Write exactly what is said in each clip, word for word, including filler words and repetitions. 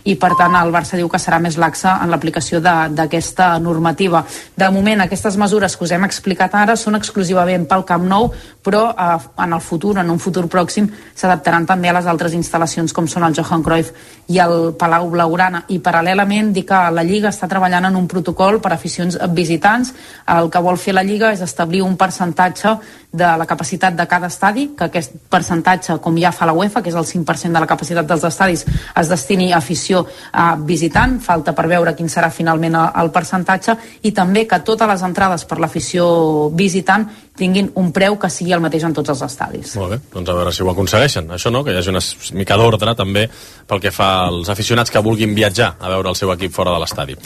i per tant el Barça diu que serà més laxa en l'aplicació d'aquesta normativa. De moment aquestes mesures que us hem explicat ara són exclusivament pel Camp Nou, però eh, en el futur, en un futur pròxim, s'adaptaran també a les altres instal·lacions com són el Johan Cruyff i el Palau Blaugrana. I paral·lelament dir que la Lliga està treballant en un protocol per a aficions visitants. El que vol fer la Lliga és establir un percentatge de la capacitat de cada estadi, que aquest percentatge, com ja fa la UEFA, que és el cinc per cent de la capacitat dels estadis, es destini a afició a visitant. Falta per veure quin serà finalment el percentatge, i també que totes les entrades per l'afició visitant tinguin un preu que sigui el mateix en tots els estadis. Molt bé, doncs a veure si ho aconsegueixen. Això no, que hi hagi una mica d'ordre també pel que fa als aficionats que vulguin viatjar a veure el seu equip fora de l'estadi.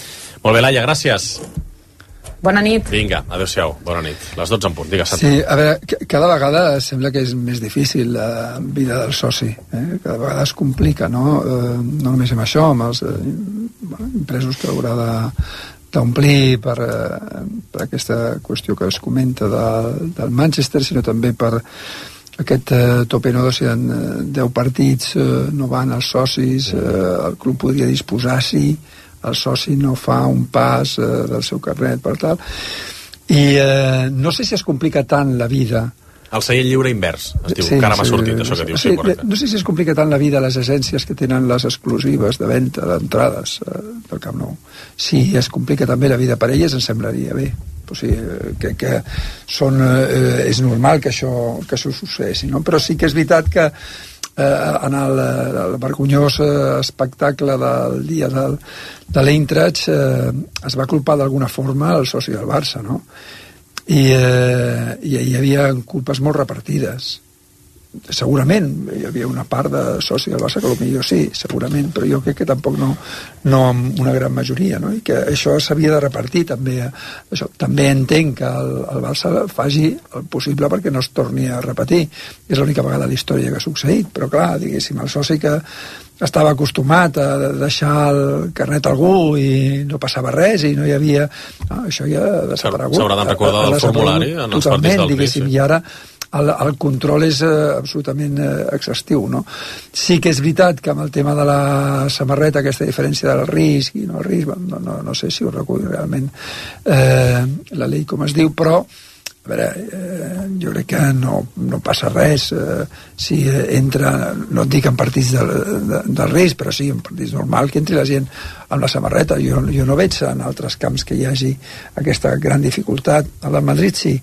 Molt bé, Laia, gràcies. Bona nit. Vinga, adéu-siau, bona nit. Les dotze en punt, digues, Santa. Sí, a veure, cada vegada sembla que és més difícil la vida del soci. Eh? Cada vegada es complica, no? Eh, no només amb això, amb els eh, bueno, impresos que haurà de d'omplir per, eh, per aquesta qüestió que es comenta de, del Manchester, sinó també per aquest eh, tope, no? Si en eh, deu partits eh, no van els socis, eh, el club podria disposar, sí, el soci no fa un pas eh, del seu carnet per tal, i eh, no sé si es complica tant la vida. El seient lliure invers, es diu, sí, que ara m'ha sí, sortit, això que dius. Sí, sí, no sé si es complica tant la vida a les agències que tenen les exclusives de venda d'entrades eh, del Camp Nou. Si es complica també la vida per elles, em semblaria bé. O sigui, que, que són, eh, és normal que això, que això succeeixi, no? Però sí que és veritat que eh, en el, el vergonyós espectacle del dia del, de l'Eintracht eh, es va culpar d'alguna forma el soci del Barça, no? I, eh, i hi havia culpes molt repartides. Segurament hi havia una part de soci del Barça que potser sí, segurament, però jo crec que tampoc no, no amb una gran majoria, no? I que això s'havia de repartir també. Això. També entenc que el, el Barça faci el possible perquè no es torni a repetir. És l'única vegada a la història que ha succeït, però clar, diguéssim, el soci que estava acostumat a deixar el carnet a algú i no passava res i no hi havia... No, això ja ha desaparegut. S'haurà de recordar del formulari en els partits del P I, sí. I ara el, el control és eh, absolutament eh, exhaustiu, no? Sí que és veritat que amb el tema de la samarreta, aquesta diferència del risc i no el risc, no, no, no sé si ho recull realment eh, la llei com es diu, però a veure, eh, jo crec que no, no passa res eh, si entra, no et dic en partits del, de, del risc, però sí en partits normal que entri la gent amb la samarreta. Jo, jo no veig en altres camps que hi hagi aquesta gran dificultat. A la Madrid sí,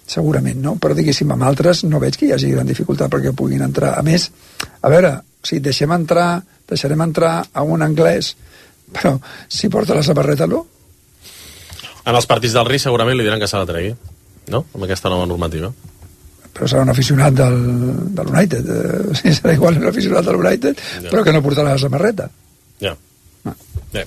segurament, no? Però diguéssim, amb altres no veig que hi hagi gran dificultat perquè puguin entrar. A més, a veure, si deixem entrar, deixarem entrar a un anglès, però si porta la samarreta no. En els partits del risc segurament li diran que s'ha de tregui, no? Amb aquesta nova normativa. Però serà un aficionat del, de l'United. Eh, sí, serà igual un aficionat de l'United, ja. Però que no portarà la samarreta. Ja. No. Ja.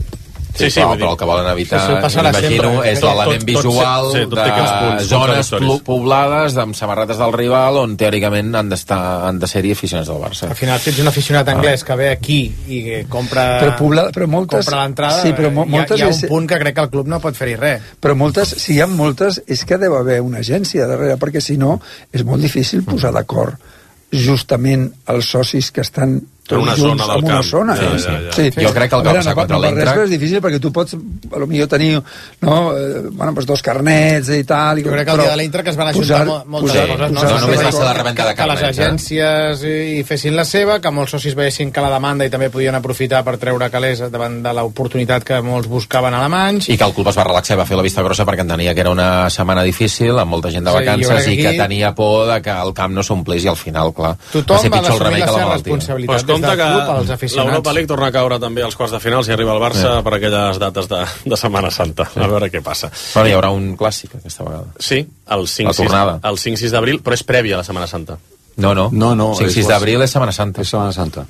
Sí, sí, però, però el que volen evitar, m'imagino, és l'element visual sí, de punts, zones poblades amb samarretes del rival on teòricament han d'estar han de ser-hi aficionats del Barça. Al final, si ets un aficionat anglès que ve aquí i compra, però pobla, però moltes, compra l'entrada, sí, però mo moltes hi, ha, hi ha un és, punt que crec que el club no pot fer-hi res. Però moltes, si hi ha moltes, és que deu haver una agència darrere, perquè si no és molt difícil posar d'acord justament els socis que estan en una zona del camp. Zona. Sí, ja, sí, ja, ja. Sí. Jo crec que el que va passar contra l'Eintracht és difícil perquè tu pots potser tenir no, eh, bueno, pues dos carnets i tal. Jo crec que el dia de l'Eintracht es van ajuntar moltes posar, coses. No, no només va ser la revenda de carnets. Que les agències eh? hi fessin la seva, que molts socis veiessin que la demanda i també podien aprofitar per treure calés davant de l'oportunitat que molts buscaven alemanys. I que el club es va relaxar i va fer la vista grossa perquè entenia que era una setmana difícil, amb molta gent de vacances, sí, i que tenia por de que el camp no s'omplís i al final, clar, tothom va ser pitjor el remei que la malaltia. Responsabilitat des del club als aficionats. L'Europa League torna a caure també als quarts de final si arriba el Barça yeah. per aquelles dates de, de Setmana Santa. Sí. A veure què passa. Però hi haurà un clàssic aquesta vegada. Sí, el cinc sis d'abril, però és prèvia a la Setmana Santa. No, no. no, no cinc sis d'abril és Setmana Santa. És Setmana Santa.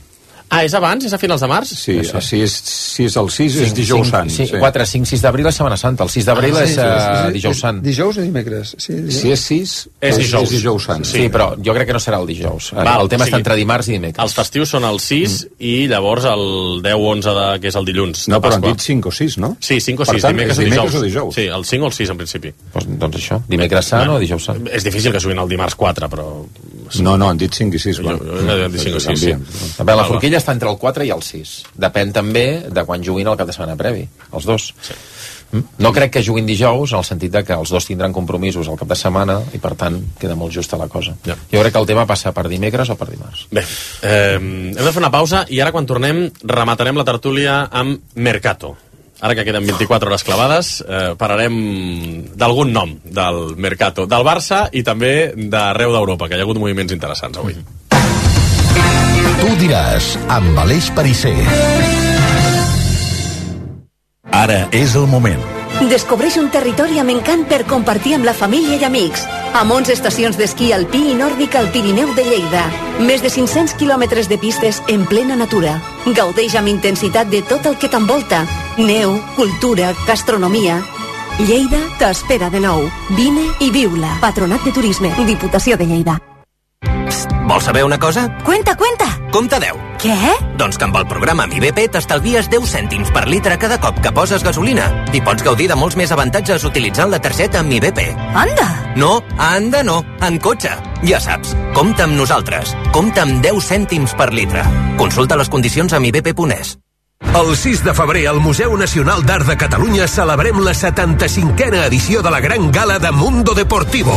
Ah, és abans? És a finals de març? Sí, sí. Si, és, si és el sis, és dijous sant. Sí, quatre, cinc, sis d'abril és Setmana Santa. El sis d'abril ah, sí, és, uh, és dijous sant. Dijous o dimecres? Sí, dijous. Si és sis, és dijous. És dijous sant. Sí, però jo crec que no serà el dijous. Val, el tema o sigui, està entre dimarts i dimecres. Els festius són el sis mm. i llavors el deu onze, de, que és el dilluns. No, però han dit cinc o sis, no? Sí, cinc o sis, tant, dimecres, dimecres o, o dijous. Sí, el cinc o el sis en principi. Pues, doncs això, dimecres sant bueno, o dijous sant. És difícil que juguin el dimarts quatre, però No, no, han dit cinc i sis. Jo, jo he dit cinc o sis, sí. A veure, la forquilla està entre el quatre i el sis. Depèn també de quan juguin el cap de setmana previ, els dos. Sí. No crec que juguin dijous, en el sentit de que els dos tindran compromisos al cap de setmana i, per tant, queda molt justa la cosa. Ja. Jo crec que el tema passa per dimecres o per dimarts. Bé, eh, hem de fer una pausa i ara, quan tornem, rematarem la tertúlia amb Mercato. Ara que queden vint-i-quatre hores clavades, eh, parlarem d'algun nom del Mercato, del Barça i també d'arreu d'Europa, que hi ha hagut moviments interessants avui. Tu diràs, amb Aleix Perisser. Ara és el moment. Descobreix un territori amb encant per compartir amb la família i amics. Amb onze estacions d'esquí alpí i nòrdic al Pirineu de Lleida. Més de cinc-cents quilòmetres de pistes en plena natura. Gaudeix amb intensitat de tot el que t'envolta. Neu, cultura, gastronomia. Lleida t'espera de nou. Vine i viu-la. Patronat de Turisme. Diputació de Lleida. Psst, vols saber una cosa? Cuenta, cuenta! Compte deu. Què? Doncs que amb el programa Mi B P t'estalvies deu cèntims per litre cada cop que poses gasolina i pots gaudir de molts més avantatges utilitzant la targeta Mi B P. Anda! No, anda no, en cotxe. Ja saps, compta amb nosaltres. Compta amb deu cèntims per litre. Consulta les condicions a mi b p punt es. El sis de febrer al Museu Nacional d'Art de Catalunya celebrem la setanta-cinquena edició de la Gran Gala de Mundo Deportivo.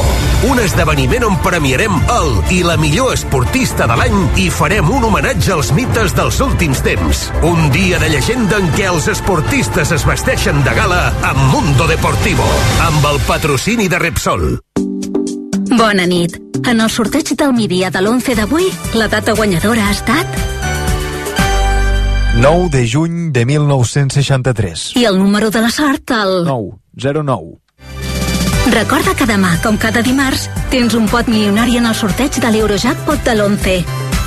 Un esdeveniment on premiarem el i la millor esportista de l'any i farem un homenatge als mites dels últims temps. Un dia de llegenda en què els esportistes es vesteixen de gala amb Mundo Deportivo, amb el patrocini de Repsol. Bona nit. En el sorteig del migdia de l'onze d'avui, la data guanyadora ha estat nou de juny de mil nou-cents seixanta-tres. I el número de la sort, el nou, zero nou. Recorda que demà, com cada dimarts, tens un pot milionari en el sorteig de l'Eurojackpot de l'onze.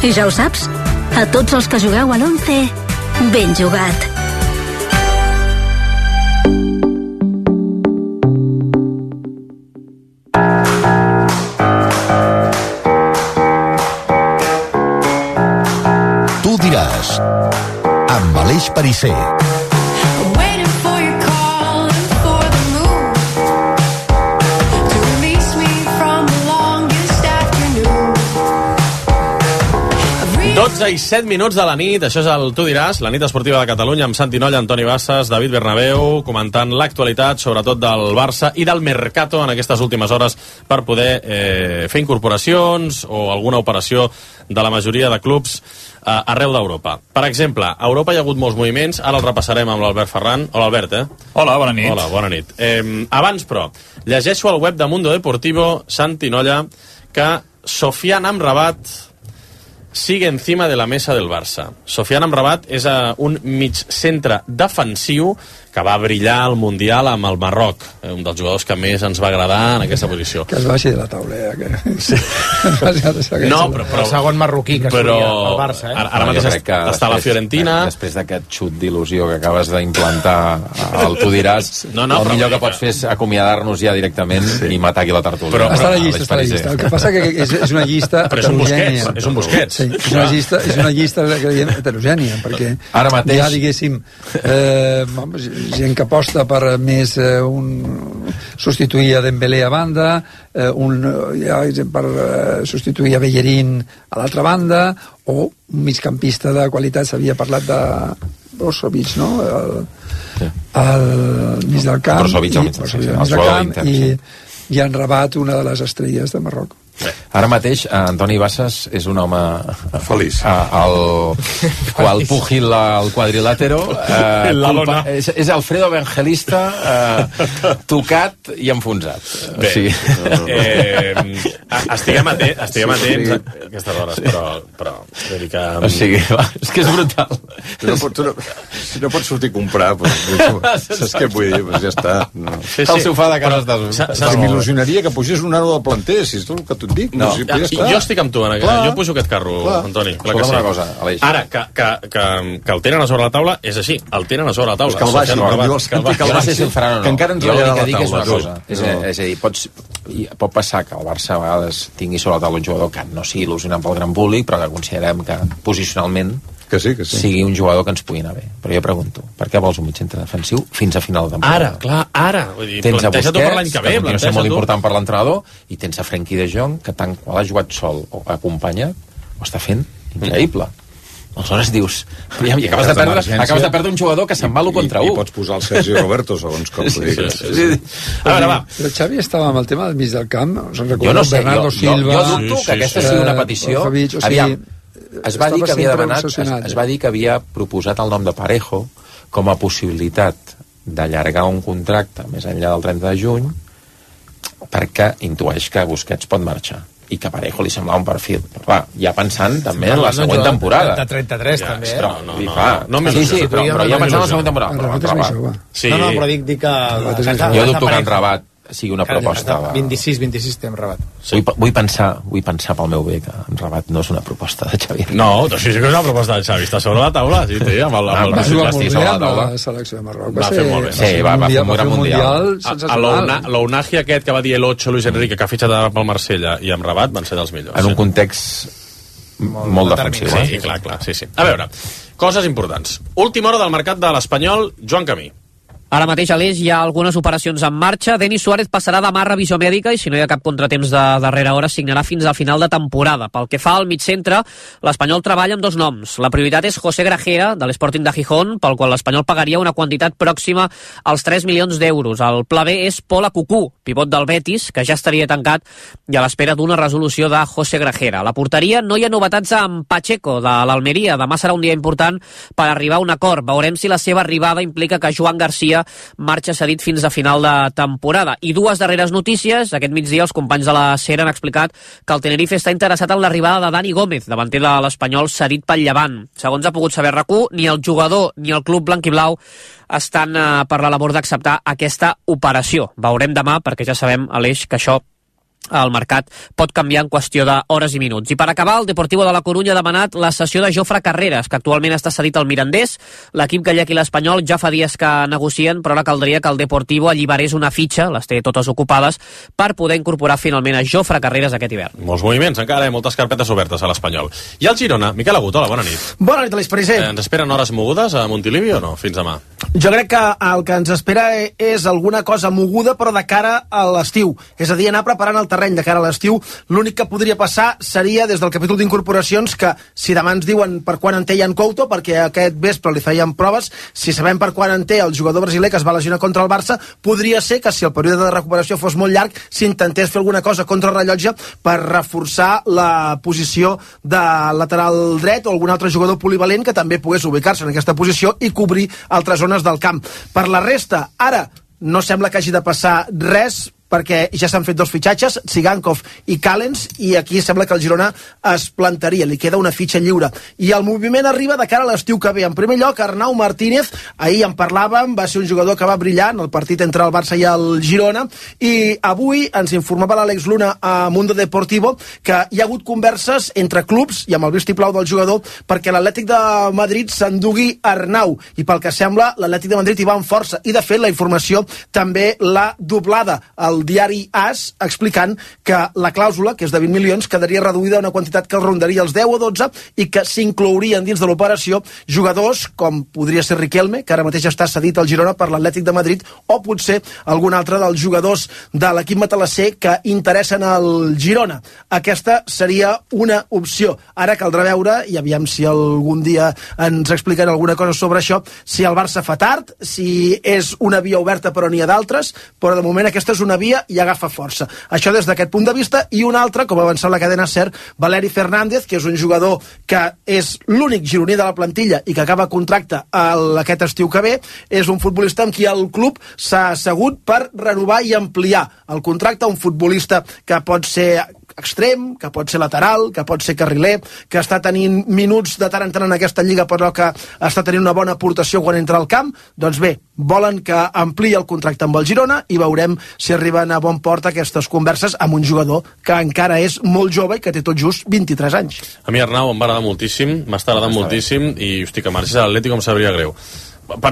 I ja ho saps, a tots els que jugueu a l'onze, ben jugat. Tu diràs, amb Aleix Perisser. dotze i set minuts de la nit, això és el Tu diràs, la nit esportiva de Catalunya, amb Santi Nolla, Antoni Bassas, David Bernabéu, comentant l'actualitat, sobretot del Barça i del Mercato en aquestes últimes hores per poder eh, fer incorporacions o alguna operació de la majoria de clubs eh, arreu d'Europa. Per exemple, a Europa hi ha hagut molts moviments, ara el repassarem amb l'Albert Ferran. Hola, Albert, eh? Hola, bona nit. Hola, bona nit. Eh, abans, però, llegeixo al web de Mundo Deportivo, Santi Nolla, que Sofiane Amrabat sigue encima de la mesa del Barça. Sofiane Amrabat és uh, un mig centre defensiu que va brillar al Mundial amb el Marroc, eh, un dels jugadors que més ens va agradar en aquesta posició. Que es baixi de la taula, eh? Que... Sí. No, però, però... El segon marroquí que però... estudia al Barça, eh? Ara, ara mateix està després, a la Fiorentina. Després d'aquest xut d'il·lusió que acabes d'implantar al Tu diràs, no, no, el millor que pots fer és acomiadar-nos ja directament sí. i matar aquí la tertúlia. Però, està a la llista, està a la llista. El que passa que és, és una llista però és un Busquets, és un Busquets. Sí, és una llista, és una llista que diem heterogènia, perquè ara mateix... ja, diguéssim, eh, gent que aposta per més eh, un, substituir a Dembélé a banda, eh, un, ja, per eh, substituir a Bellerín a l'altra banda, o un migcampista de qualitat. S'havia parlat de Brozovic, no? El, sí. el mig del camp, Brozovic al mig del camp, i, i han Rabat, una de les estrelles de Marroc. Ara mateix, Antoni Bassas és un home feliç. Al qual pugil al quadrilàtero. Eh, culpa, és, és Alfredo Evangelista eh, tocat i enfonsat. Bé, o sigui... eh, estiguem atents, estiguem atents a aquestes hores, però, però vull dir que... O sigui, va, és que és brutal. Tu no, pots, tu no, si no pots sortir a comprar, doncs, saps què vull dir? Pues ja està. No. Sí, sí. El sofà de casa estàs... Però m'il·lusionaria que pugés un nano del planter, si és tot el que tu et dic. No, si ja, jo estic amb tu, Ana, jo pujo aquest carro, clar. Antoni. Clar que sí. Una cosa, Aleix. Ara, que, que, que, que el tenen a sobre la taula, és així, el tenen a sobre la taula. És que el baixi, no, no, no, que el baixi, que el baixi, faran, no. Que encara ens va a la dir que és una cosa. No. És, a, és a dir, pots, pot passar que el Barça a vegades tingui sobre la taula un jugador que no sigui il·lusionant pel gran públic, però que considerem que posicionalment que sí, que sí. sigui un jugador que ens pugui anar bé. Però jo pregunto, per què vols un mig centre defensiu fins a final de temporada? Ara, clar, ara. Vull dir, tens a Busquets, per l'any que ve, que continua sent molt important per l'entrenador, i tens a Frenkie de Jong, que tan en qual ha jugat sol o acompanyat, ho està fent increïble. Aleshores dius, ja, i acabes de perdre, acabes de perdre un jugador que se'n va l'u contra u. I pots posar el Sergi Roberto, segons com. Sí, sí, sí, sí. A veure, va. Però Xavi estava amb el tema del mig del camp. Jo no sé, jo, jo, jo dubto que aquesta sigui una petició. Aviam, es va dir que havia demanat, es, es va dir que havia proposat el nom de Parejo com a possibilitat d'allargar un contracte més enllà del trenta de juny, perquè intueix que Busquets pot marxar i que Parejo li semblava un perfil. Però clar, ja pensant també en la següent temporada. De trenta-tres també, eh? Però, no, no, no, no, sí, sí, però, però ja pensant en la següent temporada. No, no, però dic, dic que... Jo dubto que en Rabat sigui una proposta. vint-i-sis vint-i-sis té en Rabat. Vull, vull, pensar, vull pensar pel meu bé que en Rabat no és una proposta de Xavi. No, sí, sí que és una proposta de Xavi. Està sobre la taula, sí, té, amb el, amb el, va jugar molt bé amb la selecció de Marroc. Va fer molt bé. Sí, va, va fer un gran mundial. L'Ounahi aquest que va dir el ocho Luis Enrique, que ha fitxat pel Marsella, i amb Rabat van ser dels millors. En un context molt defensiu. Sí, clar, clar, sí, sí. A veure, coses importants. Última hora del mercat de l'Espanyol, Joan Camí. Ara mateix a l'Eix hi ha algunes operacions en marxa. Denis Suárez passarà demà a revisió mèdica i si no hi ha cap contratemps de darrera hora signarà fins al final de temporada. Pel que fa al migcentre, l'Espanyol treballa amb dos noms. La prioritat és José Grajera, de l'Sporting de Gijón, pel qual l'Espanyol pagaria una quantitat pròxima als tres milions d'euros. El pla B és Pol Akuku, pivot del Betis, que ja estaria tancat i a l'espera d'una resolució de José Grajera. A la porteria no hi ha novetats amb Pacheco, de l'Almeria. Demà serà un dia important per arribar a un acord. Veurem si la seva arribada implica que Joan Garcia marxa cedit fins a final de temporada. I dues darreres notícies. Aquest migdia els companys de la SER han explicat que el Tenerife està interessat en l'arribada de Dani Gómez, davanter de l'Espanyol cedit pel Llevant. Segons ha pogut saber RAC u, ni el jugador ni el club blanquiblau estan eh, per la labor d'acceptar aquesta operació. Veurem demà, perquè ja sabem, Aleix, que això el mercat pot canviar en qüestió d'hores i minuts. I per acabar, el Deportivo de la Corunya ha demanat la cessió de Jofre Carreras, que actualment està cedit al Mirandés. L'equip gallec i l'Espanyol ja fa dies que negocien, però ara caldria que el Deportivo alliberés una fitxa, les té totes ocupades, per poder incorporar finalment a Jofre Carreras aquest hivern. Molts moviments encara, eh? Moltes carpetes obertes a l'Espanyol. I el Girona, Miquel Agut, hola, bona nit. Bona nit, Aleix Pariser. Eh, ens esperen hores mogudes a Montilivi o no? Fins demà. Jo crec que el que ens espera és alguna cosa moguda, però de cara a l'estiu. És a dir, anar preparant el terreny de cara a l'estiu. L'únic que podria passar seria des del capítol d'incorporacions que, si demà ens diuen per quan en té Ian Couto, perquè aquest vespre li feien proves, si sabem per quan en té el jugador brasiler que es va lesionar contra el Barça, podria ser que si el període de recuperació fos molt llarg, s'intentés fer alguna cosa contra el rellotge per reforçar la posició de lateral dret o algun altre jugador polivalent que també pogués ubicar-se en aquesta posició i cobrir altres zones del camp. Per la resta, ara no sembla que hagi de passar res, perquè ja s'han fet dos fitxatges, Tsigankov i Callens, i aquí sembla que el Girona es plantaria, li queda una fitxa lliure. I el moviment arriba de cara a l'estiu que ve. En primer lloc, Arnau Martínez, ahir en parlàvem, va ser un jugador que va brillar en el partit entre el Barça i el Girona, i avui ens informava l'Àlex Luna a Mundo Deportivo que hi ha hagut converses entre clubs i amb el vistiplau del jugador perquè l'Atlètic de Madrid s'endugui Arnau, i pel que sembla l'Atlètic de Madrid hi va amb força, i de fet la informació també l'ha doblada el diari AS, explicant que la clàusula, que és de vint milions, quedaria reduïda a una quantitat que rondaria els deu o dotze i que s'inclourien dins de l'operació jugadors com podria ser Riquelme, que ara mateix està cedit al Girona per l'Atlètic de Madrid, o potser algun altre dels jugadors de l'equip matalasser que interessen al Girona. Aquesta seria una opció. Ara caldrà veure, i aviam si algun dia ens expliquen alguna cosa sobre això, si el Barça fa tard, si és una via oberta però n'hi ha d'altres, però de moment aquesta és una via i agafa força. Això des d'aquest punt de vista, i un altre, com ha avançat la cadena SER, Valeri Fernández, que és un jugador que és l'únic gironí de la plantilla i que acaba contracte aquest estiu que ve, és un futbolista amb qui el club s'ha assegut per renovar i ampliar el contracte, un futbolista que pot ser extrem, que pot ser lateral, que pot ser carriler, que està tenint minuts de tant en tant en aquesta lliga, però que està tenint una bona aportació quan entra al camp. Doncs bé, volen que ampliï el contracte amb el Girona i veurem si arriben a bon port aquestes converses amb un jugador que encara és molt jove i que té tot just vint-i-tres anys. A mi Arnau em va agradar moltíssim, m'està agradant moltíssim, i hosti, que marxés a l'Atlètic em sabria greu.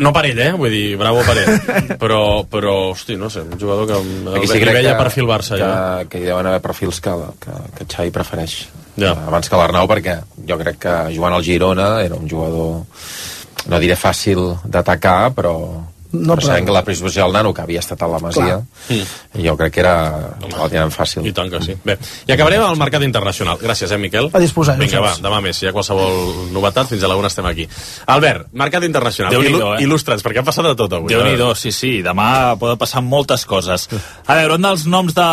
No per ell, eh? Vull dir, bravo per ell. Però, però hosti, no sé, un jugador que el sí veia perfil Barça. Que, ja. que hi deuen haver perfils que, que, que Xavi prefereix. Ja. Abans que l'Arnau, perquè jo crec que jugant al Girona era un jugador, no diré fàcil d'atacar, però, No, però sabem que la predisposició del nano, que havia estat a la Masia, mm. jo crec que era... la tenen fàcil. I tant que sí. Bé, i acabarem amb el mercat internacional. Gràcies, eh, Miquel? A disposar. Vinga, va, demà més. Si hi ha qualsevol novetat, fins a l'una estem aquí. Albert, mercat internacional. Déu-n'hi-do, eh? Il·lustra'ns, perquè ha passat de tot avui. Déu-n'hi-do, sí, sí. Demà poden passar moltes coses. A veure, un dels noms de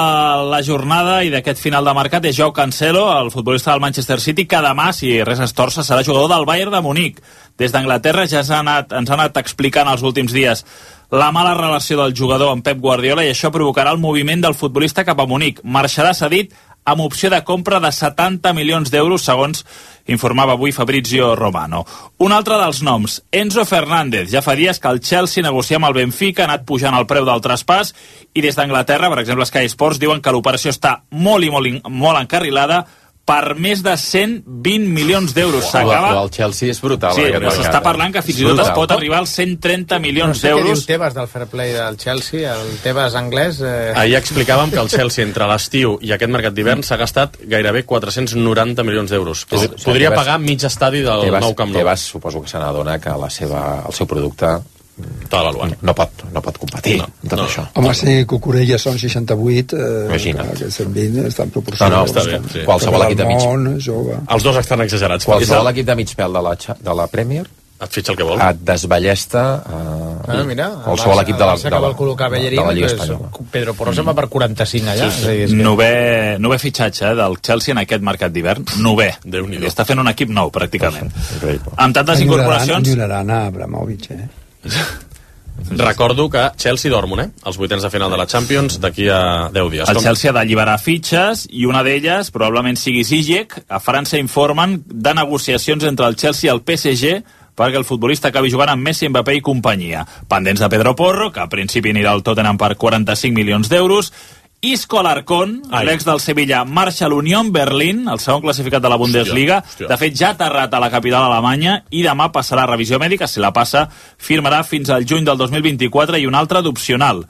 la jornada i d'aquest final de mercat és Joao Cancelo, el futbolista del Manchester City, que demà, si res es torça, serà jugador del Bayern de Munic. Des d'Anglaterra ja ens ha anat, ens ha anat explicant els últims dies la mala relació del jugador amb Pep Guardiola, i això provocarà el moviment del futbolista cap a Munic. Marxarà cedit amb opció de compra de setanta milions d'euros, segons informava avui Fabrizio Romano. Un altre dels noms, Enzo Fernández. Ja fa dies que el Chelsea negocia amb el Benfica, ha anat pujant el preu del traspàs, i des d'Anglaterra, per exemple, Sky Sports, diuen que l'operació està molt i molt, molt encarrilada, per més de cent vint milions d'euros. S'acaba... El Chelsea és brutal. Sí, s'està parlant que fins i tot es pot arribar als cent trenta milions d'euros. No sé què diu Tebas del fair play del Chelsea, el Tebas anglès... Eh... Ahir explicàvem que el Chelsea, entre l'estiu i aquest mercat d'hivern, s'ha gastat gairebé quatre-cents noranta milions d'euros. Podria pagar mig estadi del nou Camp Nou. Tebas suposo que se n'adona que la seva, el seu producte no pot, no pot competir no, amb tot no. això. Home, si Cucurella són seixanta-vuit, eh, que cent vint estan proporcionats. No, no, està bé, sí. Qualsevol equip de mig... Món, jove. Els dos estan exagerats. Qualsevol equip de mig pèl de la, de la Premier et fitxa el que vol. Et desballesta uh, ah, mira, qualsevol equip de la, de la, de la, de la Lliga Espanyola. Pedro Porro se'n va per quaranta-cinc allà. Sí, sí. Sí. Nové, nové fitxatge eh, del Chelsea en aquest mercat d'hivern. Nové. Déu-n'hi-do. Està fent un equip nou, pràcticament. Amb tantes incorporacions... Enyoraran a Abramovich, eh? Recordo que Chelsea dormen, eh? Els vuitens de final de la Champions d'aquí a deu dies. El Chelsea ha d'alliberar fitxes i una d'elles probablement sigui Ziyech. A França informen de negociacions entre el Chelsea i el P S G perquè el futbolista acabi jugant amb Messi, Mbappé i companyia. Pendents de Pedro Porro, que a principi anirà al Tottenham per quaranta-cinc milions d'euros. Isco Alarcón, l'ex del Sevilla, marxa a l'Unión Berlín, el segon classificat de la Bundesliga. Hòstia, hòstia. De fet, ja ha aterrat a la capital alemanya i demà passarà a revisió mèdica. Si la passa, firmarà fins al juny del dos mil vint-i-quatre, i un altre d'opcional.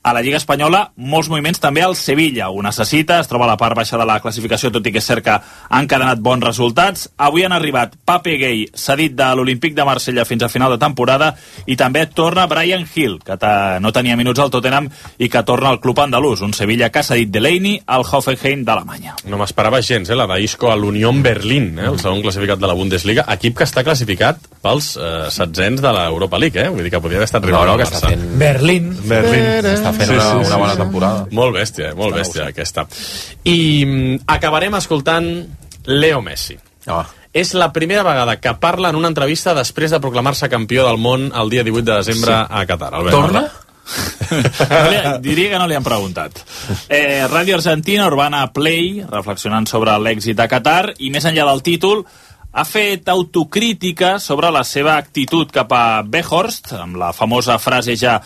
A la Lliga Espanyola, molts moviments també al Sevilla. Ho necessita, es troba a la part baixa de la classificació, tot i que és cert que han cadenat bons resultats. Avui han arribat Pape Gueye, cedit de l'Olímpic de Marsella fins a final de temporada, i també torna Brian Hill, que no tenia minuts al Tottenham i que torna al club andalús. Un Sevilla que ha cedit Delaney al Hoffenheim d'Alemanya. No m'esperava gens, eh, la d'Isco a l'Unión Berlin, eh, el segon classificat de la Bundesliga, equip que està classificat pels eh, setzents de l'Europa League, eh? Vull dir que podria haver estat rival no, no, al Barça. Fent... Berlín. Berlín. Està fent sí, una, sí, una bona sí, temporada. Molt bèstia, molt està bèstia aquesta. I mm, acabarem escoltant Leo Messi. Oh. És la primera vegada que parla en una entrevista després de proclamar-se campió del món el dia divuit de desembre sí. a Qatar. Albert, torna? No li, diria que no li han preguntat. Eh, Ràdio Argentina, Urbana Play, reflexionant sobre l'èxit de Qatar, i més enllà del títol, ha fet autocrítica sobre la seva actitud cap a Weghorst, amb la famosa frase ja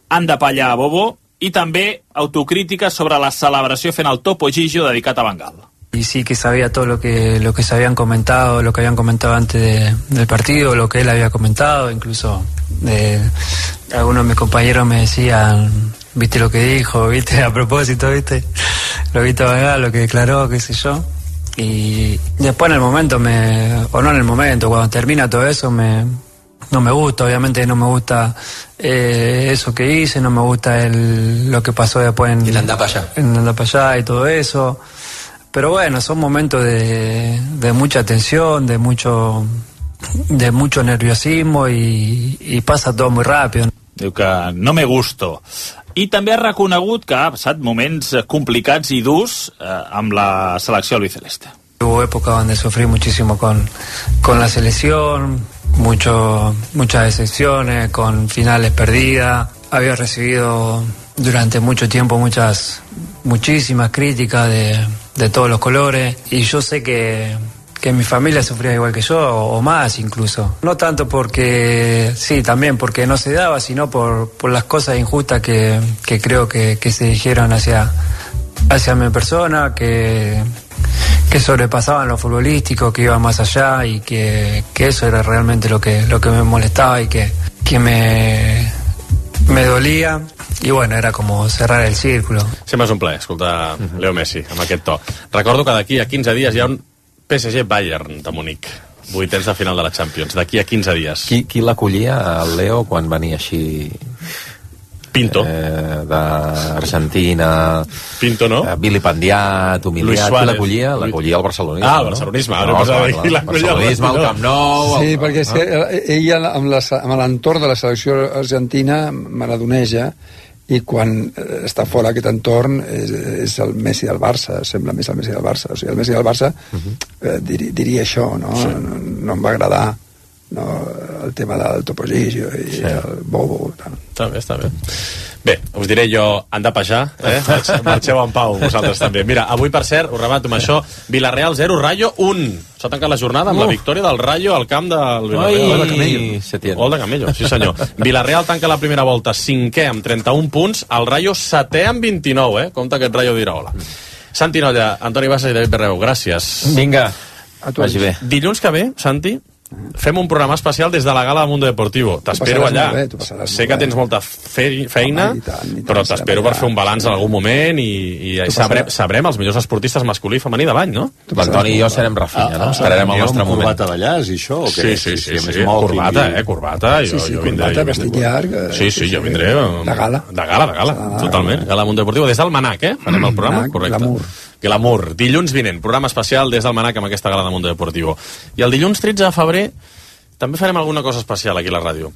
"anda pa allá, bobo", i també autocrítica sobre la celebració fent el Topo Gigio dedicat a Bengal. Y sí que sabía todo lo que lo que se habían comentado, lo que habían comentado antes de, del partido, lo que él había comentado, incluso eh, algunos de mis compañeros me decían, viste lo que dijo, viste a propósito, viste lo viste a Bengal, lo que declaró, qué sé yo. Y después en el momento, me o no en el momento, cuando termina todo eso, me no me gusta, obviamente no me gusta eh, eso que hice, no me gusta el, lo que pasó después en el anda para allá. En el anda para allá y todo eso. Pero bueno, son momentos de, de mucha tensión, de mucho de mucho nerviosismo y, y pasa todo muy rápido. Diu que no me gusto. I també ha reconegut que ha passat moments complicats i durs eh, amb la selecció albiceleste. Hubo épocas donde sufrí muchísimo con, con la selección, mucho, muchas decepciones, con finales perdidas. Había recibido durante mucho tiempo muchas, muchísimas críticas de, de todos los colores, y yo sé que, que mi familia sufría igual que yo, o, o más incluso. No tanto porque, sí, también porque no se daba, sino por, por las cosas injustas que, que creo que, que se dijeron hacia, hacia mi persona, que... que sobrepasaban lo futbolístico, que iba más allá, y que, que eso era realmente lo que, lo que me molestaba y que, que me, me dolía. I bueno, era com cerrar el círculo. Sempre és un plaer escoltar uh-huh. Leo Messi amb aquest to. Recordo que d'aquí a quinze dies hi ha un P S G Bayern de Munic, vuitens de final de la Champions, d'aquí a quinze dies. Qui, qui l'acollia, el Leo, quan venia així Pinto. Eh, d'Argentina... Pinto, no? Eh, Billy Pandiat, humiliat, qui l'acollia? L'acollia al barcelonisme, Ah, el barcelonisme, no? ara No, posava clar, aquí clar, l'acollia al barcelonisme, al Camp Nou... Sí, el... perquè és que ella amb la- amb l'entorn de la selecció argentina maradoneja, i quan eh, està fora aquest entorn és, és el Messi del Barça, sembla més el Messi del Barça. O sigui, el Messi del Barça eh, dir, diria això, no? Sí. No, no em va agradar, no, el tema del Topo Gigio i Sí. el Bobo. Tal. Està bé, està bé. Bé, us diré jo, han de pejar, eh? Marxeu en pau, vosaltres també. Mira, avui, per cert, ho remato amb això, Villarreal zero, Rayo un. S'ha tancat la jornada amb uh. la victòria del Rayo al camp del Villarreal. Gol de Camello. Gol de Camello, sí senyor. Villarreal tanca la primera volta cinquè amb trenta-un punts, el Rayo setè amb vint-i-nou, eh? Compte aquest Rayo dirà hola. Santi Nolla, Antoni Bassas i David Berreu, gràcies. Vinga, vagi bé. Dilluns que ve, Santi, fem un programa especial des de la gala de Mundo Deportivo. T'espero passaràs allà. molt bé, tu passaràs Sé molt que bé. tens molta fe feina, Home, i tant, i tant, però serem t'espero per allà. fer un balanç en algun moment i, i Tu sabrem, passaràs. sabrem els millors esportistes masculí i femení de l'any, no? L'Antoni i jo serem Rafinha, no? Esperarem el nostre moment. corbata de llaç i això, o què? Sí, sí, sí, sí, sí, corbata, eh, corbata. Jo, Sí, sí, jo vindré, corbata, jo vestit vindré. llarg, eh, Sí, sí, sí, jo sí. vindré. De gala. De gala, de gala, totalment. Gala Mundo Deportivo, des del Manac, eh? Farem el programa, Manac, correcte. glamour. Glamour. Dilluns vinent, programa especial des del Manac amb aquesta gala de Mundo Deportivo. I el dilluns tretze de febrer també farem alguna cosa especial aquí a la ràdio.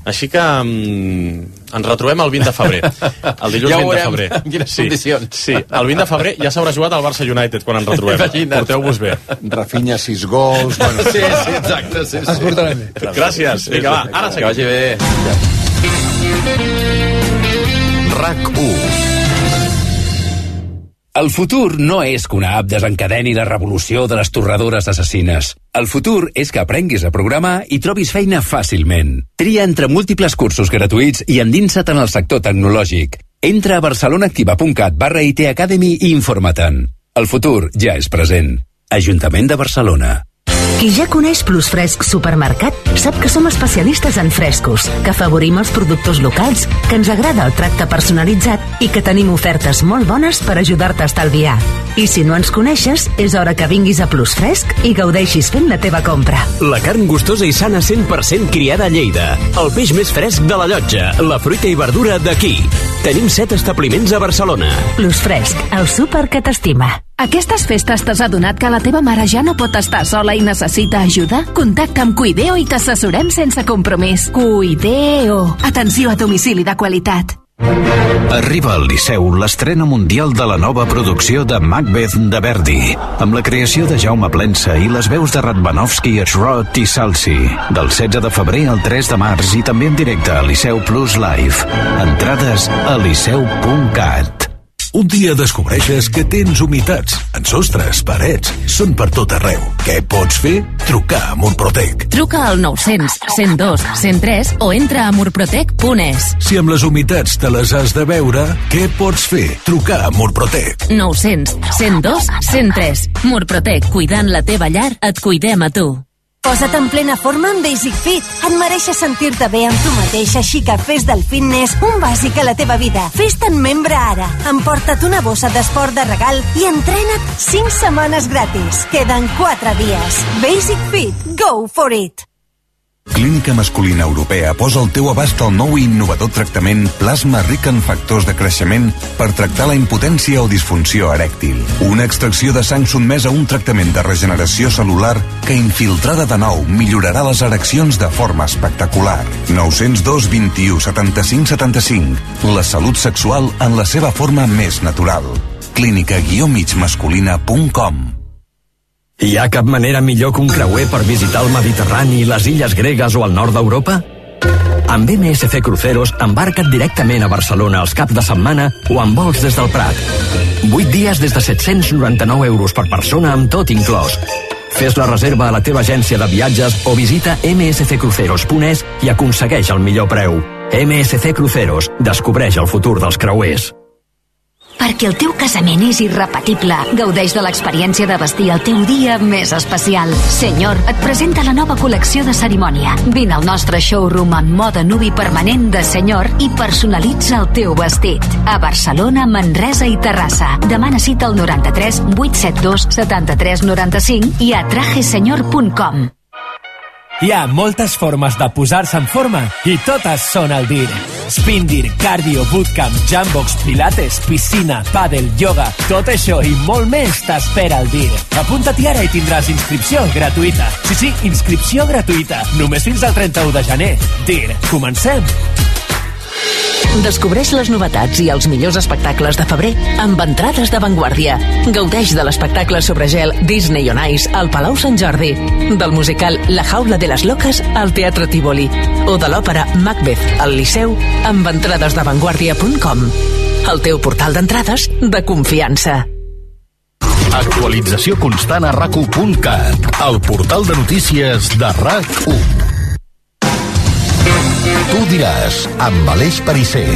Així que um, ens retrobem el vint de febrer. El dilluns Ja ho vint de veurem febrer. en quines sí, condicions. Sí, el vint de febrer ja s'haurà jugat al Barça United quan ens retrobem. Imagina't. Porteu-vos bé. Rafinha, sis gols... Bueno, Sí, sí, exacte, sí, sí. Es portarem bé. Gràcies. Vinga, va, ara Que seguim. vagi bé. RAC u. El futur no és que una app desencadeni la revolució de les torradores assassines. El futur és que aprenguis a programar i trobis feina fàcilment. Tria entre múltiples cursos gratuïts i endinsa't en el sector tecnològic. Entra a barcelonaactiva.cat barra I T Academy i informa-te'n. El futur ja és present. Ajuntament de Barcelona. Qui ja coneix Plus Fresc Supermercat sap que som especialistes en frescos, que afavorim els productors locals, que ens agrada el tracte personalitzat i que tenim ofertes molt bones per ajudar-te a estalviar. I si no ens coneixes, és hora que vinguis a Plus Fresc i gaudeixis fent la teva compra. La carn gustosa i sana cent per cent criada a Lleida. El peix més fresc de la Llotja. La fruita i verdura d'aquí. Tenim set establiments a Barcelona. Plus Fresc, el súper que t'estima. Aquestes festes t'has adonat que la teva mare ja no pot estar sola i necessita ajuda? Contacta amb Cuideo i t'assessorem sense compromís. Cuideo. Atenció a domicili de qualitat. Arriba al Liceu l'estrena mundial de la nova producció de Macbeth de Verdi, amb la creació de Jaume Plensa i les veus de Radvanovsky, Schrott i Salsi, del setze de febrer al tres de març i també en directe a Liceu Plus Live. Entrades a liceu punt cat. Un dia descobreixes que tens humitats en sostres, parets, són per tot arreu. Què pots fer? Trucar a Murprotec. Truca al nou-cents, cent dos, cent tres o entra a murprotec punt es. Si amb les humitats te les has de veure, què pots fer? Trucar a Murprotec. nou-cents, cent dos, cent tres. Murprotec, cuidant la teva llar, et cuidem a tu. Posa't en plena forma amb Basic Fit. Et mereixes sentir-te bé amb tu mateix, així que fes del fitness un bàsic a la teva vida. Fes-te'n membre ara. Emporta't una bossa d'esport de regal i entrena't cinc setmanes gratis. Queden quatre dies. Basic Fit. Go for it. Clínica Masculina Europea posa al teu abast el nou i innovador tractament plasma ric en factors de creixement per tractar la impotència o disfunció erèctil. Una extracció de sang sotmesa a un tractament de regeneració celular que, infiltrada de nou, millorarà les ereccions de forma espectacular. nou zero dos, vint-i-u, setanta-cinc, setanta-cinc. La salut sexual en la seva forma més natural. clínica guió mig masculina punt com. Hi ha cap manera millor que un creuer per visitar el Mediterrani, les illes gregues o el nord d'Europa? Amb M S C Cruceros embarca't directament a Barcelona els caps de setmana o amb vols des del Prat. vuit dies des de set-cents noranta-nou euros per persona amb tot inclòs. Fes la reserva a la teva agència de viatges o visita eme esse ce cruceros punt es i aconsegueix el millor preu. M S C Cruceros. Descobreix el futur dels creuers. Perquè el teu casament és irrepetible. Gaudeix de l'experiència de vestir el teu dia més especial. Senyor, et presenta la nova col·lecció de cerimònia. Vine al nostre showroom amb moda nuvi permanent de Senyor i personalitza el teu vestit. A Barcelona, Manresa i Terrassa. Demana cita al noranta-tres vuit set dos setanta-tres noranta-cinc i a trajesenyor punt com. Hi ha moltes formes de posar-se en forma i totes són al dir. Spindir, cardio, bootcamp, jambox, pilates, piscina, pàdel, yoga, tot això i molt més t'espera al dir. Apunta-t'hi ara i tindràs inscripció gratuïta. Sí, sí, inscripció gratuïta. Només fins al trenta-u de gener. dir, comencem! Descobreix les novetats i els millors espectacles de febrer amb entrades d'avantguàrdia. Gaudeix de l'espectacle sobre gel Disney on Ice al Palau Sant Jordi, del musical La Jaula de les Loques al Teatre Tívoli o de l'òpera Macbeth al Liceu amb entrades d'avantguàrdia punt com. El teu portal d'entrades de confiança. Actualització constant a rac u punt cat, el portal de notícies de RAC u. Tu diràs, amb Aleix Perisser.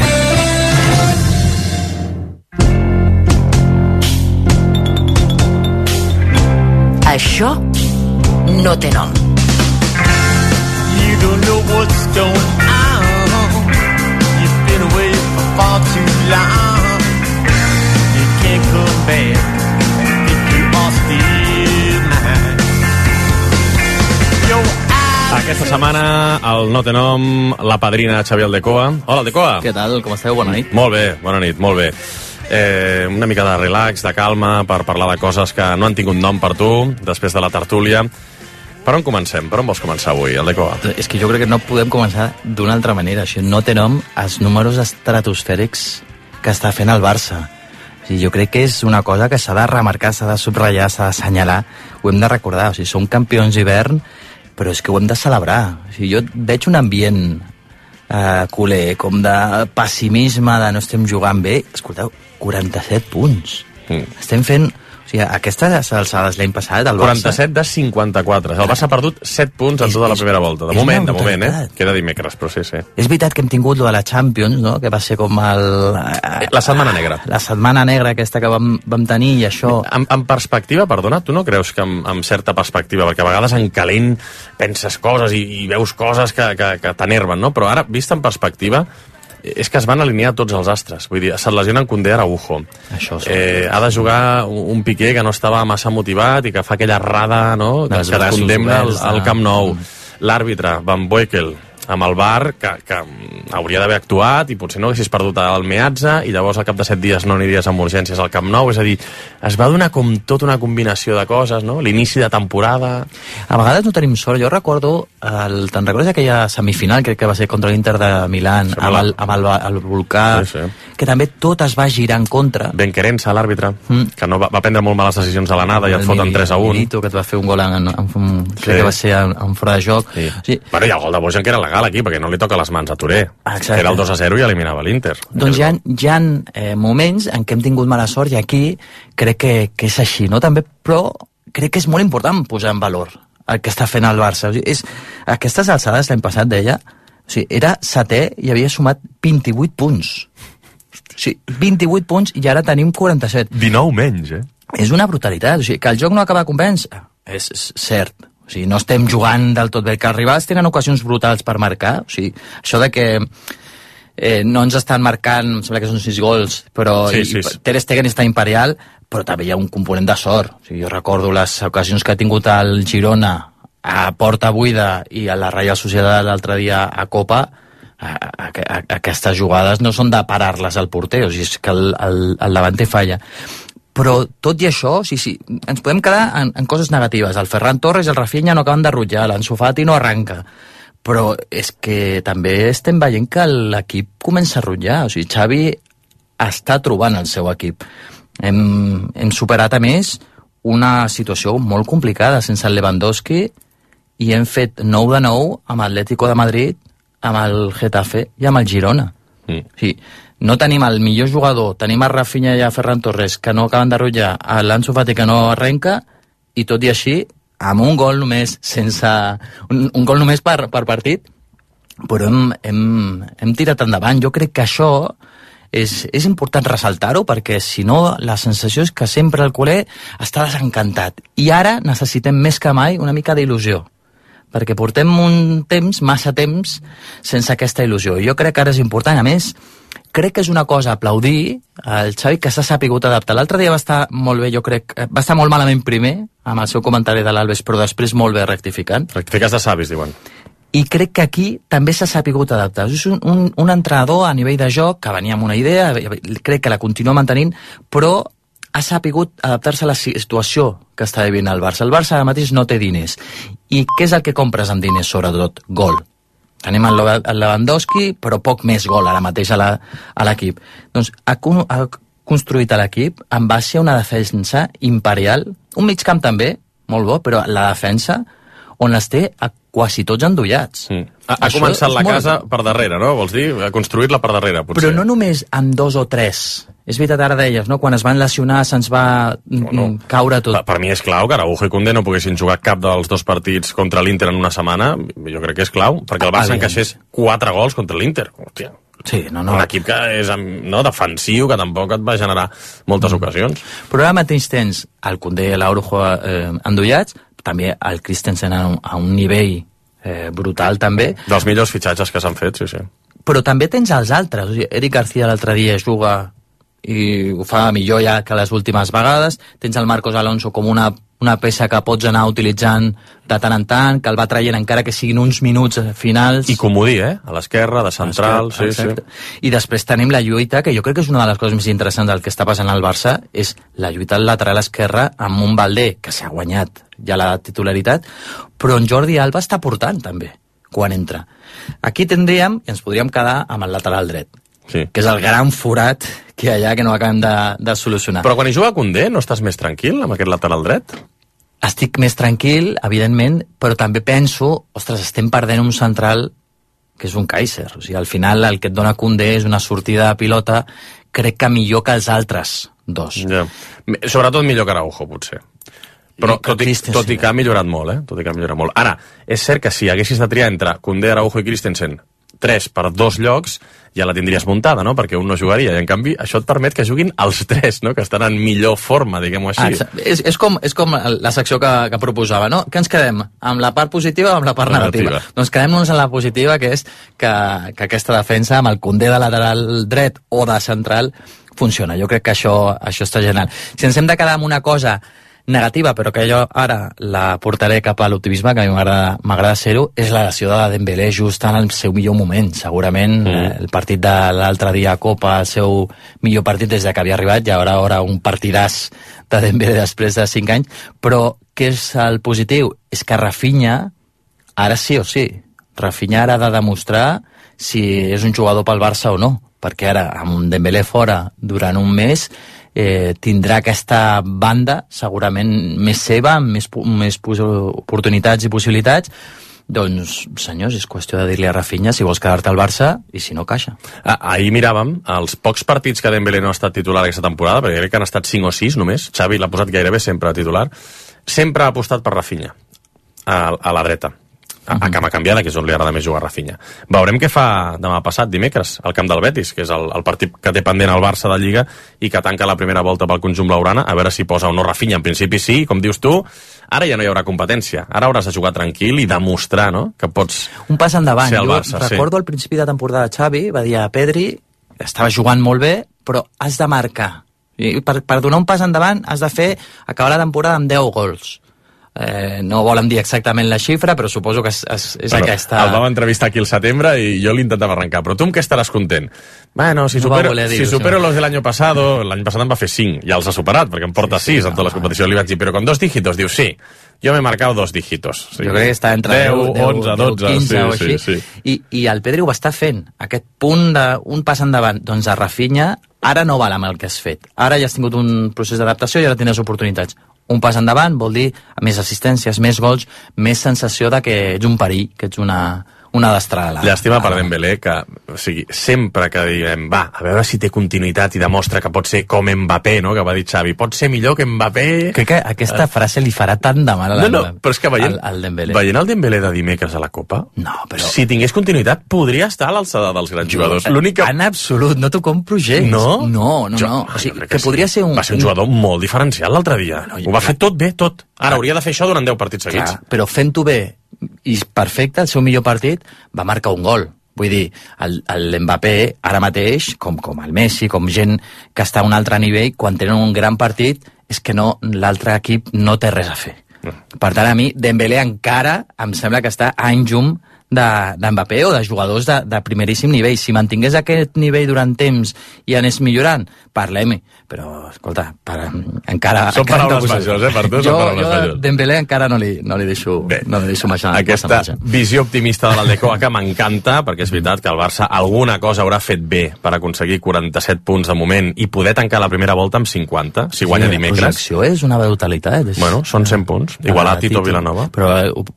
Això no té nom. You don't know what's going on. You've been away for far too long. You can't come back if you are still mine. Your Aquesta setmana, el No té nom, la padrina Xavier Aldecoa. Hola, Aldecoa. Què tal? Com esteu? Bona nit. Molt bé, bona nit, molt bé. Eh, una mica de relax, de calma, per parlar de coses que no han tingut nom per tu, després de la tertúlia. Per on comencem? Per on vols començar avui, Aldecoa? És que jo crec que no podem començar d'una altra manera. Això no té nom als números estratosfèrics que està fent el Barça. O sigui, jo crec que és una cosa que s'ha de remarcar, s'ha de subratllar, s'ha d'assenyalar. Ho hem de recordar. O sigui, som campions d'hivern, però és que ho hem de celebrar. O sigui, jo veig un ambient eh, culer, com de pessimisme, de no estem jugant bé. Escolteu, quaranta-set punts. Mm. Estem fent... O sigui, aquestes alçades l'any passat, el Barça... quaranta-set de cinquanta-quatre. El Barça ha perdut set punts en és, tota la primera volta. De moment, de moment, eh? Queda dimecres, però sí, sí. És veritat que hem tingut lo de la Champions, no?, que va ser com el... La setmana negra. La setmana negra aquesta que vam, vam tenir i això... En, en perspectiva, perdona, tu no creus que amb, amb certa perspectiva, perquè a vegades en calent penses coses i, i veus coses que, que, que t'enerven, no? Però ara, vist en perspectiva, és que es van alinear tots els astres. Vull dir, se't lesionen Koundé, Araujo. Això sí. Eh, ha de jugar un Piqué que no estava massa motivat i que fa aquella errada, no?, que es condemna al, al Camp Nou. L'àrbitre, Van Boekel, amb el V A R, que, que hauria d'haver actuat i potser no haguessis perdut el Meazza i llavors al cap de set dies no aniries amb urgències al Camp Nou. És a dir, es va donar com tota una combinació de coses, no? L'inici de temporada... A vegades no tenim sort. Jo recordo, el, te'n recordes aquella semifinal, crec que va ser contra l'Inter de Milán, sí, amb, el, amb el, el Volcà, sí, sí. que també tot es va girar en contra. Ben Querença, l'àrbitre, mm. que no va, va prendre molt males decisions a l'anada i et foten tres a un. Milito, que et va fer un gol en, en, en, sí. crec que va ser en, en fora de joc. Sí. Sí. Bueno, i el gol de Bojan, que era legal aquí, perquè no li toca les mans a Touré. Exacte. Era el dos a zero i eliminava l'Inter. Doncs hi ha, hi ha eh, moments en què hem tingut mala sort i aquí crec que, que és així, no? També, però crec que és molt important posar en valor el que està fent el Barça. O sigui, és, aquestes alçades l'any passat deia, o sigui, era setè i havia sumat vint-i-vuit punts. O sigui, vint-i-vuit punts i ara tenim quaranta-set. dinou menys, eh? És una brutalitat. O sigui, que el joc no acaba de convèncer, és, és cert. O sigui, no estem jugant del tot bé, que els rivals tenen ocasions brutals per marcar. O sigui, això de que eh, no ens estan marcant, em sembla que són sis gols, però sí, i, sí, i Ter Stegen està imperial, però també hi ha un component de sort. O sigui, jo recordo les ocasions que ha tingut el Girona a porta buida i a la Reial Societat l'altre dia a Copa. A, a, a, aquestes jugades no són de parar-les al porter, o sigui, és que el, el, el davanter falla. Però tot i això, sí, sí, ens podem quedar en, en coses negatives. El Ferran Torres i el Rafinha no acaben de rutllar, l'Ansu Fati no arranca. Però és que també estem veient que l'equip comença a rutllar. O sigui, Xavi està trobant el seu equip. Hem, hem superat, a més, una situació molt complicada sense el Lewandowski i hem fet nou de nou amb l'Atlético de Madrid, amb el Getafe i amb el Girona. Mm. Sí, no tenim el millor jugador, tenim a Rafinha i a Ferran Torres que no acaben de rutllar, a l'Ansu Fati que no arrenca, i tot i així amb un gol només sense un, un gol només per, per partit, però hem, hem, hem tirat endavant. Jo crec que això és, és important ressaltar-ho, perquè si no la sensació és que sempre el culer està desencantat, i ara necessitem més que mai una mica d'il·lusió, perquè portem un temps, massa temps, sense aquesta il·lusió. Jo crec que ara és important. A més, crec que és una cosa a aplaudir al Xavi, que s'ha sapigut adaptar. L'altre dia va estar molt bé, jo crec, va estar molt malament primer, amb el seu comentari de l'Alves, però després molt bé rectificant. Rectifiques de savis, diuen. I crec que aquí també s'ha sapigut adaptar. És un, un, un entrenador a nivell de joc que venia amb una idea, crec que la continua mantenint, però ha sapigut adaptar-se a la situació que està vivint el Barça. El Barça ara mateix no té diners. I què és el que compres amb diners, sobretot? Gol. Tenim el Lewandowski, però poc més gol ara mateix a l'equip. Doncs ha, ha construït l'equip en base a una defensa imperial, un mig camp també, molt bo, però la defensa on els té a quasi tots endollats. Mm. Ha, ha començat la casa molt... per darrere, no? Vols dir? Ha construït-la per darrere, potser. Però no només amb dos o tres. És veritat, ara deies, no? Quan es van lesionar se'ns va no, no. caure tot. Per, per mi és clau que Araujo i Koundé no poguessin jugar cap dels dos partits contra l'Inter en una setmana. Jo crec que és clau, perquè el Barça encaixés quatre gols contra l'Inter. Hòstia. Sí, no, no. Un equip que és no, defensiu, que tampoc et va generar moltes mm. ocasions. Però ara mateix tens el Koundé i l'Araujo eh, endollats, també el Christensen a un, a un nivell eh, brutal també. Dels millors fitxatges que s'han fet, sí, sí. Però també tens els altres. O sigui, Eric García l'altre dia juga i ho fa millor ja que les últimes vegades. Tens el Marcos Alonso com una, una peça que pots anar utilitzant de tant en tant, que el va traient encara que siguin uns minuts finals. I comodí, eh? A l'esquerra, de central, sí, exacte. sí. I després tenim la lluita, que jo crec que és una de les coses més interessants del que està passant al Barça, és la lluita al lateral esquerre amb un Valdé, que s'ha guanyat ja la titularitat, però en Jordi Alba està portant també, quan entra. Aquí tindríem, i ens podríem quedar amb el lateral dret, sí. que és el gran forat que hi ha allà que no acabem de, de solucionar. Però quan hi juga Koundé, no estàs més tranquil amb aquest lateral dret? Estic més tranquil, evidentment, però també penso, ostres, estem perdent un central que és un Kaiser. O sigui, al final el que et dona Koundé és una sortida de pilota, crec que millor que els altres dos. Ja. Sobretot millor que Araujo, potser. Però tot i, tot i que ha millorat molt, eh? Tot i que ha millorat molt. Ara, és cert que si haguessis de triar entre Koundé, Araujo i Christensen tres per dos llocs, ja la tindries muntada, no? Perquè un no jugaria, i en canvi això et permet que juguin els tres, no? Que estan en millor forma, diguem-ho així. Ah, és, és, com, és com la secció que, que proposava, no? Què ens quedem? Amb la part positiva o amb la part negativa? negativa. Doncs quedem-nos en la positiva, que és que, que aquesta defensa, amb el Koundé de lateral dret o de central, funciona. Jo crec que això, això està genial. Si ens hem de quedar amb una cosa negativa, però que jo ara la portaré cap a l'optimisme, que a mi m'agrada ser-ho, és la lesió de Dembélé just en el seu millor moment. Segurament mm. eh, el partit de l'altre dia a Copa, el seu millor partit des de que havia arribat, ja haurà ara un partidàs de Dembélé després de cinc anys, però què és el positiu? És que Rafinha, ara sí o sí, Rafinha ara ha de demostrar si és un jugador pel Barça o no, perquè ara amb un Dembélé fora durant un mes Eh, tindrà aquesta banda segurament més seva, amb més, més oportunitats i possibilitats. Doncs, senyors, és qüestió de dir-li a Rafinha si vols quedar-te al Barça i si no, caixa. Ah, ahir miràvem els pocs partits que Dembélé no ha estat titular aquesta temporada, perquè crec que han estat cinc o sis només. Xavi l'ha posat gairebé sempre a titular. Sempre ha apostat per Rafinha a, a la dreta, a, a cama canviada, que és on li agrada més jugar a Rafinha. Veurem què fa demà passat, dimecres, al camp del Betis, que és el, el partit que té pendent el Barça de Lliga i que tanca la primera volta pel conjunt blaugrana, a veure si posa o no Rafinha. En principi sí, com dius tu, ara ja no hi haurà competència. Ara hauràs de jugar tranquil i demostrar, no?, que pots un pas endavant. ser el Barça. Jo recordo sí. al principi de temporada Xavi va dir a Pedri, estava jugant molt bé, però has de marcar. I per, per donar un pas endavant has de fer, acabar la temporada amb deu gols. Eh, no volen dir exactament la xifra, però suposo que és, és, és bueno, aquesta... El vam entrevistar aquí al setembre i jo l'intentava arrencar, però tu amb què estaràs content? Bueno, si no supero, si supero los del año pasado, l'any passat em va fer cinc, ja els ha superat, perquè em porta sis sí, sí, en totes no, les competicions, li vaig dir, però con dos dígitos, diu, sí, jo m'he marcat dos dígitos. Sí. Jo crec que està entre deu, onze, dotze, quinze sí, o així, sí, sí. I, i el Pedri ho està fent, aquest punt de un pas endavant, doncs a Rafinha ara no val amb el que has fet, ara ja has tingut un procés d'adaptació i ara tindràs oportunitats. Un pas endavant vol dir més assistències, més gols, més sensació de que ets un perill, que ets una, una destrada. Llàstima per Dembélé, que o sigui, sempre que diguem, va, a veure si té continuïtat i demostra que pot ser com Mbappé, no?, que va dir Xavi, pot ser millor que Mbappé... Crec que aquesta frase li farà tant de mal a la, no, no, però és que veient, al, al Dembélé. Veient el Dembélé de dimecres a la Copa, no, però... si tingués continuïtat, podria estar a l'alçada dels grans jugadors. L'únic que... En absolut, no t'ho compro gens. No? No, no, jo, no. O sigui, que, que podria sí. ser un... Va ser un jugador molt diferencial l'altre dia. No, ho va fer tot bé, tot. Ara hauria de fer això durant deu partits seguits. Clar, però fent-ho bé i perfecte, el seu millor partit, va marcar un gol. Vull dir, el, el Mbappé ara mateix, com, com el Messi, com gent que està a un altre nivell, quan tenen un gran partit, és que no, l'altre equip no té res a fer. No. Per tant, a mi, Dembélé encara em sembla que està a any llum d'Mbappé de, o de jugadors de, de primeríssim nivell. Si mantingués aquest nivell durant temps i anés millorant, parlem-hi. Però, escolta, per, encara... Són encara paraules no majors, eh? Per tu jo, són paraules jo, majors. Dembélé encara no li, no li deixo, Bé, no li deixo marxar. Aquesta visió optimista de l'Aldecoa que m'encanta, perquè és veritat que el Barça alguna cosa haurà fet bé per aconseguir quaranta-set punts de moment i poder tancar la primera volta amb cinquanta, si guanya sí, dimecres. La projecció és una brutalitat. És... Bueno, són cent punts, igual a Tito, Tito Vilanova. Però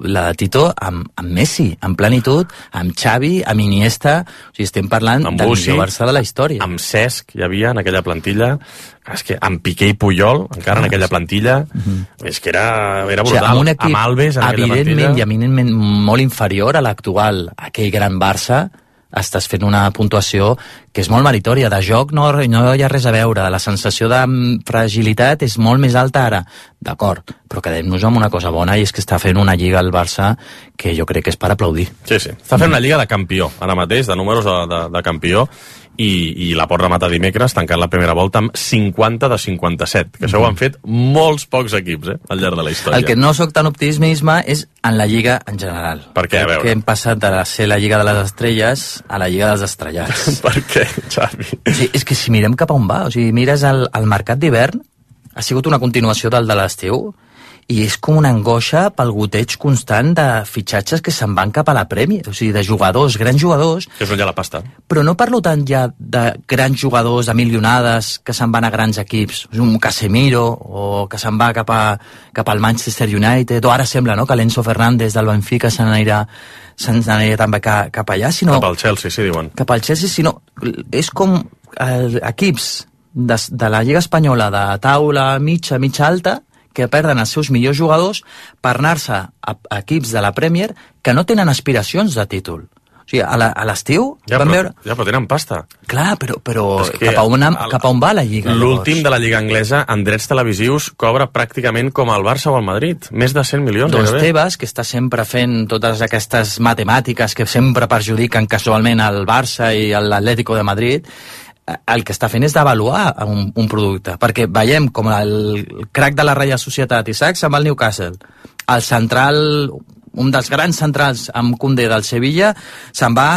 la de Tito amb, amb Messi, en plenitud, amb Xavi, amb Iniesta, o sigui, estem parlant amb del Bussi, millor Barça de la història. Amb Cesc hi havia en aquella plantilla, és que amb Piqué i Puyol, encara en aquella plantilla, mm-hmm. és que era, era brutal. O sigui, amb un equip, amb Alves, en aquella plantilla. Evidentment i eminentment molt inferior a l'actual, aquell gran Barça, estàs fent una puntuació que és molt meritòria. De joc no, no hi ha res a veure, la sensació de fragilitat és molt més alta ara. D'acord, però quedem-nos amb una cosa bona, i és que està fent una lliga al Barça que jo crec que és per aplaudir. Sí, sí. Està fent una lliga de campió, ara mateix, de números de, de, de campió, i, i la pot rematar dimecres tancant la primera volta amb cinquanta de cinquanta-set, que això ho han fet molts pocs equips, eh, al llarg de la història. El que no soc tan optimisme és en la lliga en general. Per què? A veure. Que hem passat de ser la lliga de les estrelles a la lliga dels estrellats. Per què, Xavi? O sigui, és que si mirem cap a on va, o sigui, mires el, el mercat d'hivern, ha sigut una continuació del de l'estiu, i és com una angoixa pel goteig constant de fitxatges que se'n van cap a la Premier, o sigui, de jugadors, grans jugadors. Que és on hi ha la pasta. Però no parlo tant ja de grans jugadors, de milionades, que se'n van a grans equips, un Casemiro, o que se'n va cap, a, cap al Manchester United, o ara sembla, no?, que l'Enzo Fernández del Benfica se n'anirà se'n anirà també cap, cap allà, sinó... Cap al Chelsea, sí, diuen. Cap al Chelsea, sinó... És com eh, equips de, de la Lliga Espanyola, de taula mitja, mitja alta, que perden els seus millors jugadors per anar-se a, a equips de la Premier que no tenen aspiracions de títol. O sigui, a l'estiu ja, vam però, veure... Ja, però tenen pasta. Clar, però, però cap, a on, cap a on va la Lliga? L'últim de la Lliga anglesa, en drets televisius, cobra pràcticament com el Barça o el Madrid. Més de cent milions. Doncs Tebas, que està sempre fent totes aquestes matemàtiques que sempre perjudiquen casualment el Barça i l'Atlético de Madrid, el que està fent és d'avaluar un, un producte, perquè veiem com el crac de la Reial Societat, Isaac, se'n va al Newcastle, el central, un dels grans centrals amb Koundé del Sevilla, se'n va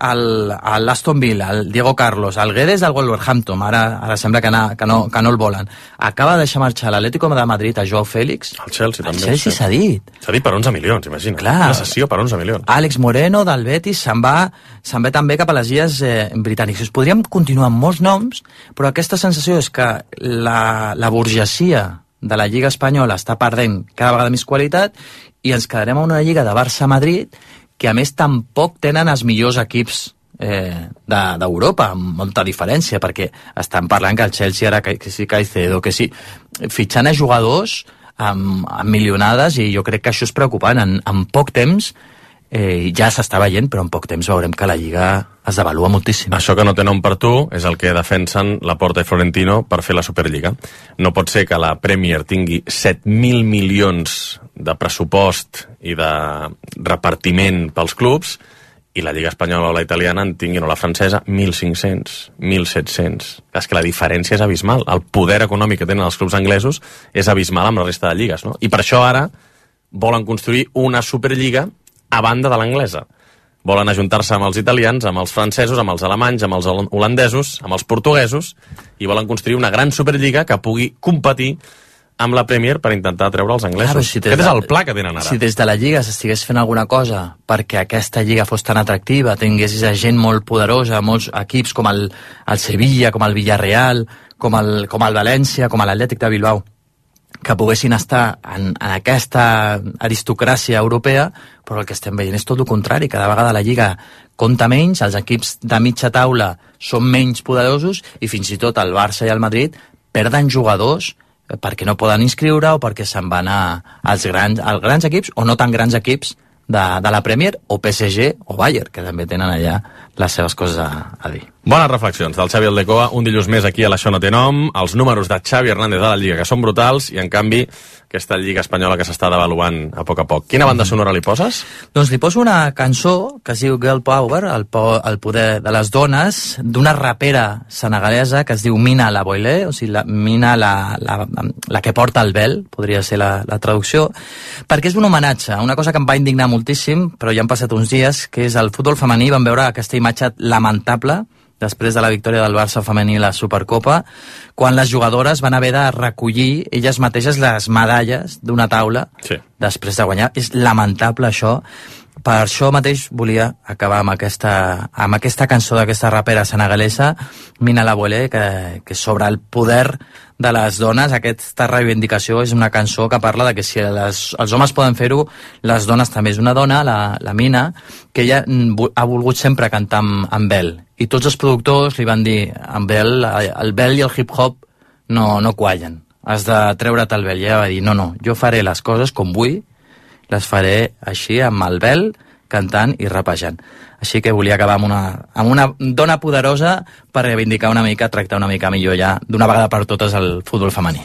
al, a l'Aston Villa, el Diego Carlos, el Guedes del Wolverhampton, ara, ara sembla que, na, que, no, que no el volen. Acaba de deixar marxar l'Atlético de Madrid a Joao Félix. El Chelsea també. El Chelsea s'ha dit. S'ha dit per onze milions, imagina. Clar. Una sessió per onze milions. Àlex Moreno del Betis se'n va, se'n va també cap a les illes eh, britàniques. Podríem continuar amb molts noms, però aquesta sensació és que la, la burgesia de la Lliga Espanyola està perdent cada vegada més qualitat i ens quedarem a una Lliga de Barça-Madrid que a més tampoc tenen els millors equips eh, d'Europa, de, amb molta diferència, perquè estan parlant que el Chelsea ara, que, que sí Caicedo, que sí, fitxant a jugadors amb, amb milionades, i jo crec que això és preocupant. En, en poc temps eh, ja s'està veient, però en poc temps veurem que la Lliga es devalua moltíssim. Això que no té nom per tu és el que defensen Laporta i Florentino per fer la Superliga. No pot ser que la Premier tingui set mil milions de pressupost i de repartiment pels clubs i la Lliga Espanyola o la italiana en tinguin, o la francesa, mil cinc-cents, mil set-cents. És que la diferència és abismal. El poder econòmic que tenen els clubs anglesos és abismal amb la resta de lligues, no? I per això ara volen construir una Superliga a banda de l'anglesa. Volen ajuntar-se amb els italians, amb els francesos, amb els alemanys, amb els holandesos, amb els portuguesos, i volen construir una gran Superliga que pugui competir amb la Premier per intentar treure els anglesos. Clar, si Aquest és el pla que tenen ara. Si des de la Lliga s'estigués fent alguna cosa perquè aquesta Lliga fos tan atractiva, tinguessis gent molt poderosa, molts equips com el, el Sevilla, com el Villarreal, com el, com el València, com l'Atlètic de Bilbao, que poguessin estar en, en aquesta aristocràcia europea, però el que estem veient és tot el contrari. Cada vegada la Lliga compta menys, els equips de mitja taula són menys poderosos i fins i tot el Barça i el Madrid perden jugadors perquè no poden inscriure o perquè se'n van a, als, grans, als grans equips o no tan grans equips de, de la Premier, o P S G o Bayern, que també tenen allà les seves coses a, a dir. Bones reflexions del Xavi Aldecoa, un dilluns més aquí a l'Això no té nom, els números de Xavi Hernández de la Lliga, que són brutals, i en canvi aquesta Lliga espanyola que s'està devaluant a poc a poc. Quina banda sonora li poses? Doncs li poso una cançó que es diu Girl Power, el, po el poder de les dones, d'una rapera senegalesa que es diu Mina La Boilé, o sigui, la, Mina la, la, la que porta el vel, podria ser la, la traducció, perquè és un homenatge, una cosa que em va indignar moltíssim, però ja han passat uns dies, que és el futbol femení, vam veure aquesta imatge lamentable després de la victòria del Barça femení a la Supercopa, quan les jugadores van haver de recollir elles mateixes les medalles d'una taula sí. després de guanyar. És lamentable això. Per això mateix volia acabar amb aquesta, amb aquesta cançó d'aquesta rapera senegalesa, Mina La Boilé, que, que sobre el poder de les dones, aquesta reivindicació és una cançó que parla de que si les, els homes poden fer-ho, les dones també. És una dona, la, la Mina, que ella ha volgut sempre cantar amb, amb vel. I tots els productors li van dir, amb vel, el vel i el hip-hop no, no quallen. Has de treure't el vel. I ella va dir, no, no, jo faré les coses com vull, les faré així, amb el vel, cantant i rapejant. Així que volia acabar amb una, amb una dona poderosa per reivindicar una mica, tractar una mica millor ja, d'una vegada per totes, el futbol femení.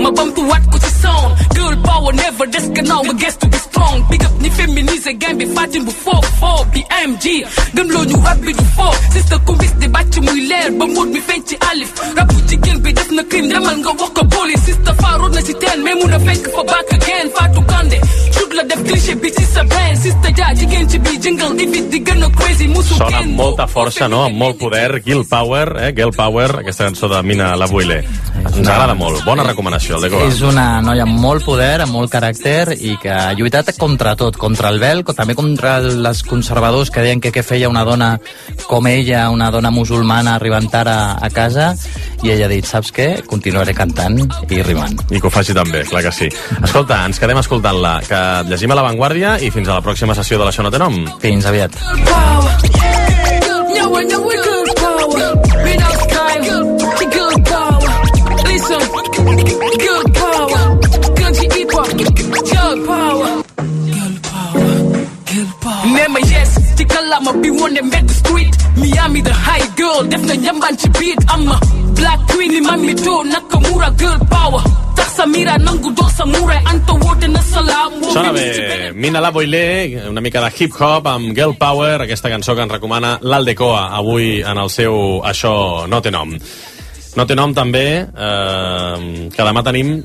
ma bamtuwaat ko ci sound girl power never des gannaaw nga gestu bi strong big up ni féminiser game bi fatin bu foof foof bi M G gëm loo ñu rap bi du foof sister kumbis di bàcc muy leer ba móot mi feeñ ci alif rap bu jigéen bi def na crime demal nga wax ko police sister faaroon na si teen mais mun a fekk fa back again Fatou Kandé shoot la def cliché bi ci sa brain sister ja jigéen ci bi jingle di fit di gën a crazy musu sona amb molta força, no? Amb molt poder. Girl Power, eh? Girl Power, aquesta cançó de Mina La Boilé. Ens agrada molt. Bona recomanació, el de Coa. És una noia amb molt poder, amb molt caràcter i que ha lluitat contra tot, contra el vel, també contra els conservadors que deien que què feia una dona com ella, una dona musulmana arribant ara a casa, i ella ha dit, saps què? Continuaré cantant i rimant. I que ho faci també, clar que sí. Escolta, ens quedem escoltant-la, que llegim a La Vanguardia i fins a la pròxima sessió de l'Això no té nom. Fins aviat. Nema yes, ci kalama bi wone mbedd street Miami the high girl, def na njambaan ci beat I'm a black queen, li mami to Nakamura girl power tax Samira nangu dox Samurai Anta woote na salaam Sona bé, Mina La Boilé, una mica de hip-hop amb Girl Power, aquesta cançó que ens recomana l'Aldecoa avui en el seu Això no té nom. No té nom també, eh, que demà tenim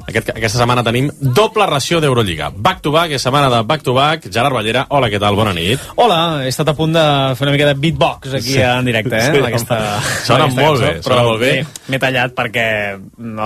Aquest, aquesta setmana tenim doble ració d'Eurolliga. Back to back, és setmana de back to back. Gerard Ballera, hola, què tal? Bona nit. Hola, he estat a punt de fer una mica de beatbox aquí sí. en directe, eh? Sí, aquesta, sona aquesta molt cançó, bé, sona molt bé. M'he tallat perquè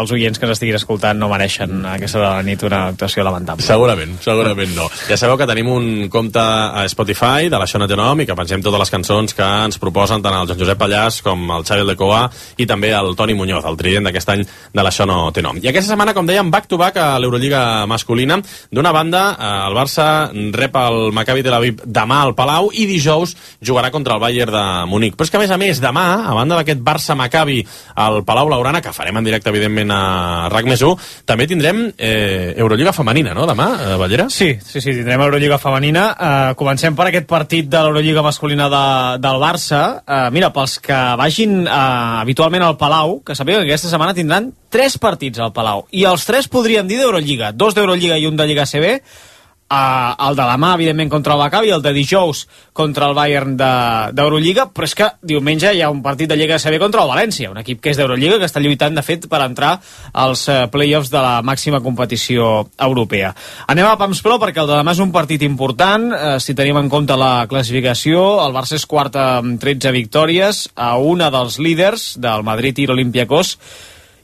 els oients que ens estiguin escoltant no mereixen a aquesta hora de la nit una actuació lamentable. Segurament, segurament no. Ja sabeu que tenim un compte a Spotify de l'Això no té nom i que pengem totes les cançons que ens proposen tant el Joan Josep Pallàs com el Xavi Aldecoa i també el Toni Muñoz, el trident d'aquest any de l'Això no té nom. I aquesta setmana, com dèiem, back to back a l'Eurolliga masculina. D'una banda, el Barça rep el Maccabi Tel Aviv demà al Palau i dijous jugarà contra el Bayern de Munic. Però és que, a més a més, demà, a banda d'aquest Barça-Maccabi al Palau Blaugrana, que farem en directe, evidentment, a RAC més u, també tindrem eh, Eurolliga femenina, no?, demà, eh, Ballera? Sí, sí, sí, tindrem Eurolliga femenina. Uh, comencem per aquest partit de l'Eurolliga masculina de, del Barça. Uh, mira, pels que vagin uh, habitualment al Palau, que sapigueu que aquesta setmana tindran tres partits al Palau, i els tres podríem dir d'Eurolliga, dos d'Eurolliga i un de Lliga A C B, uh, el de demà, evidentment, contra el Maccabi, el de dijous contra el Bayern d'Eurolliga, de, però és que diumenge hi ha un partit de Lliga A C B contra el València, un equip que és d'Eurolliga, que està lluitant, de fet, per entrar als uh, play-offs de la màxima competició europea. Anem a Pams Pro, perquè el de demà és un partit important, uh, si tenim en compte la classificació, el Barça és quart amb tretze victòries, a una dels líders del Madrid i l'Olympiacos,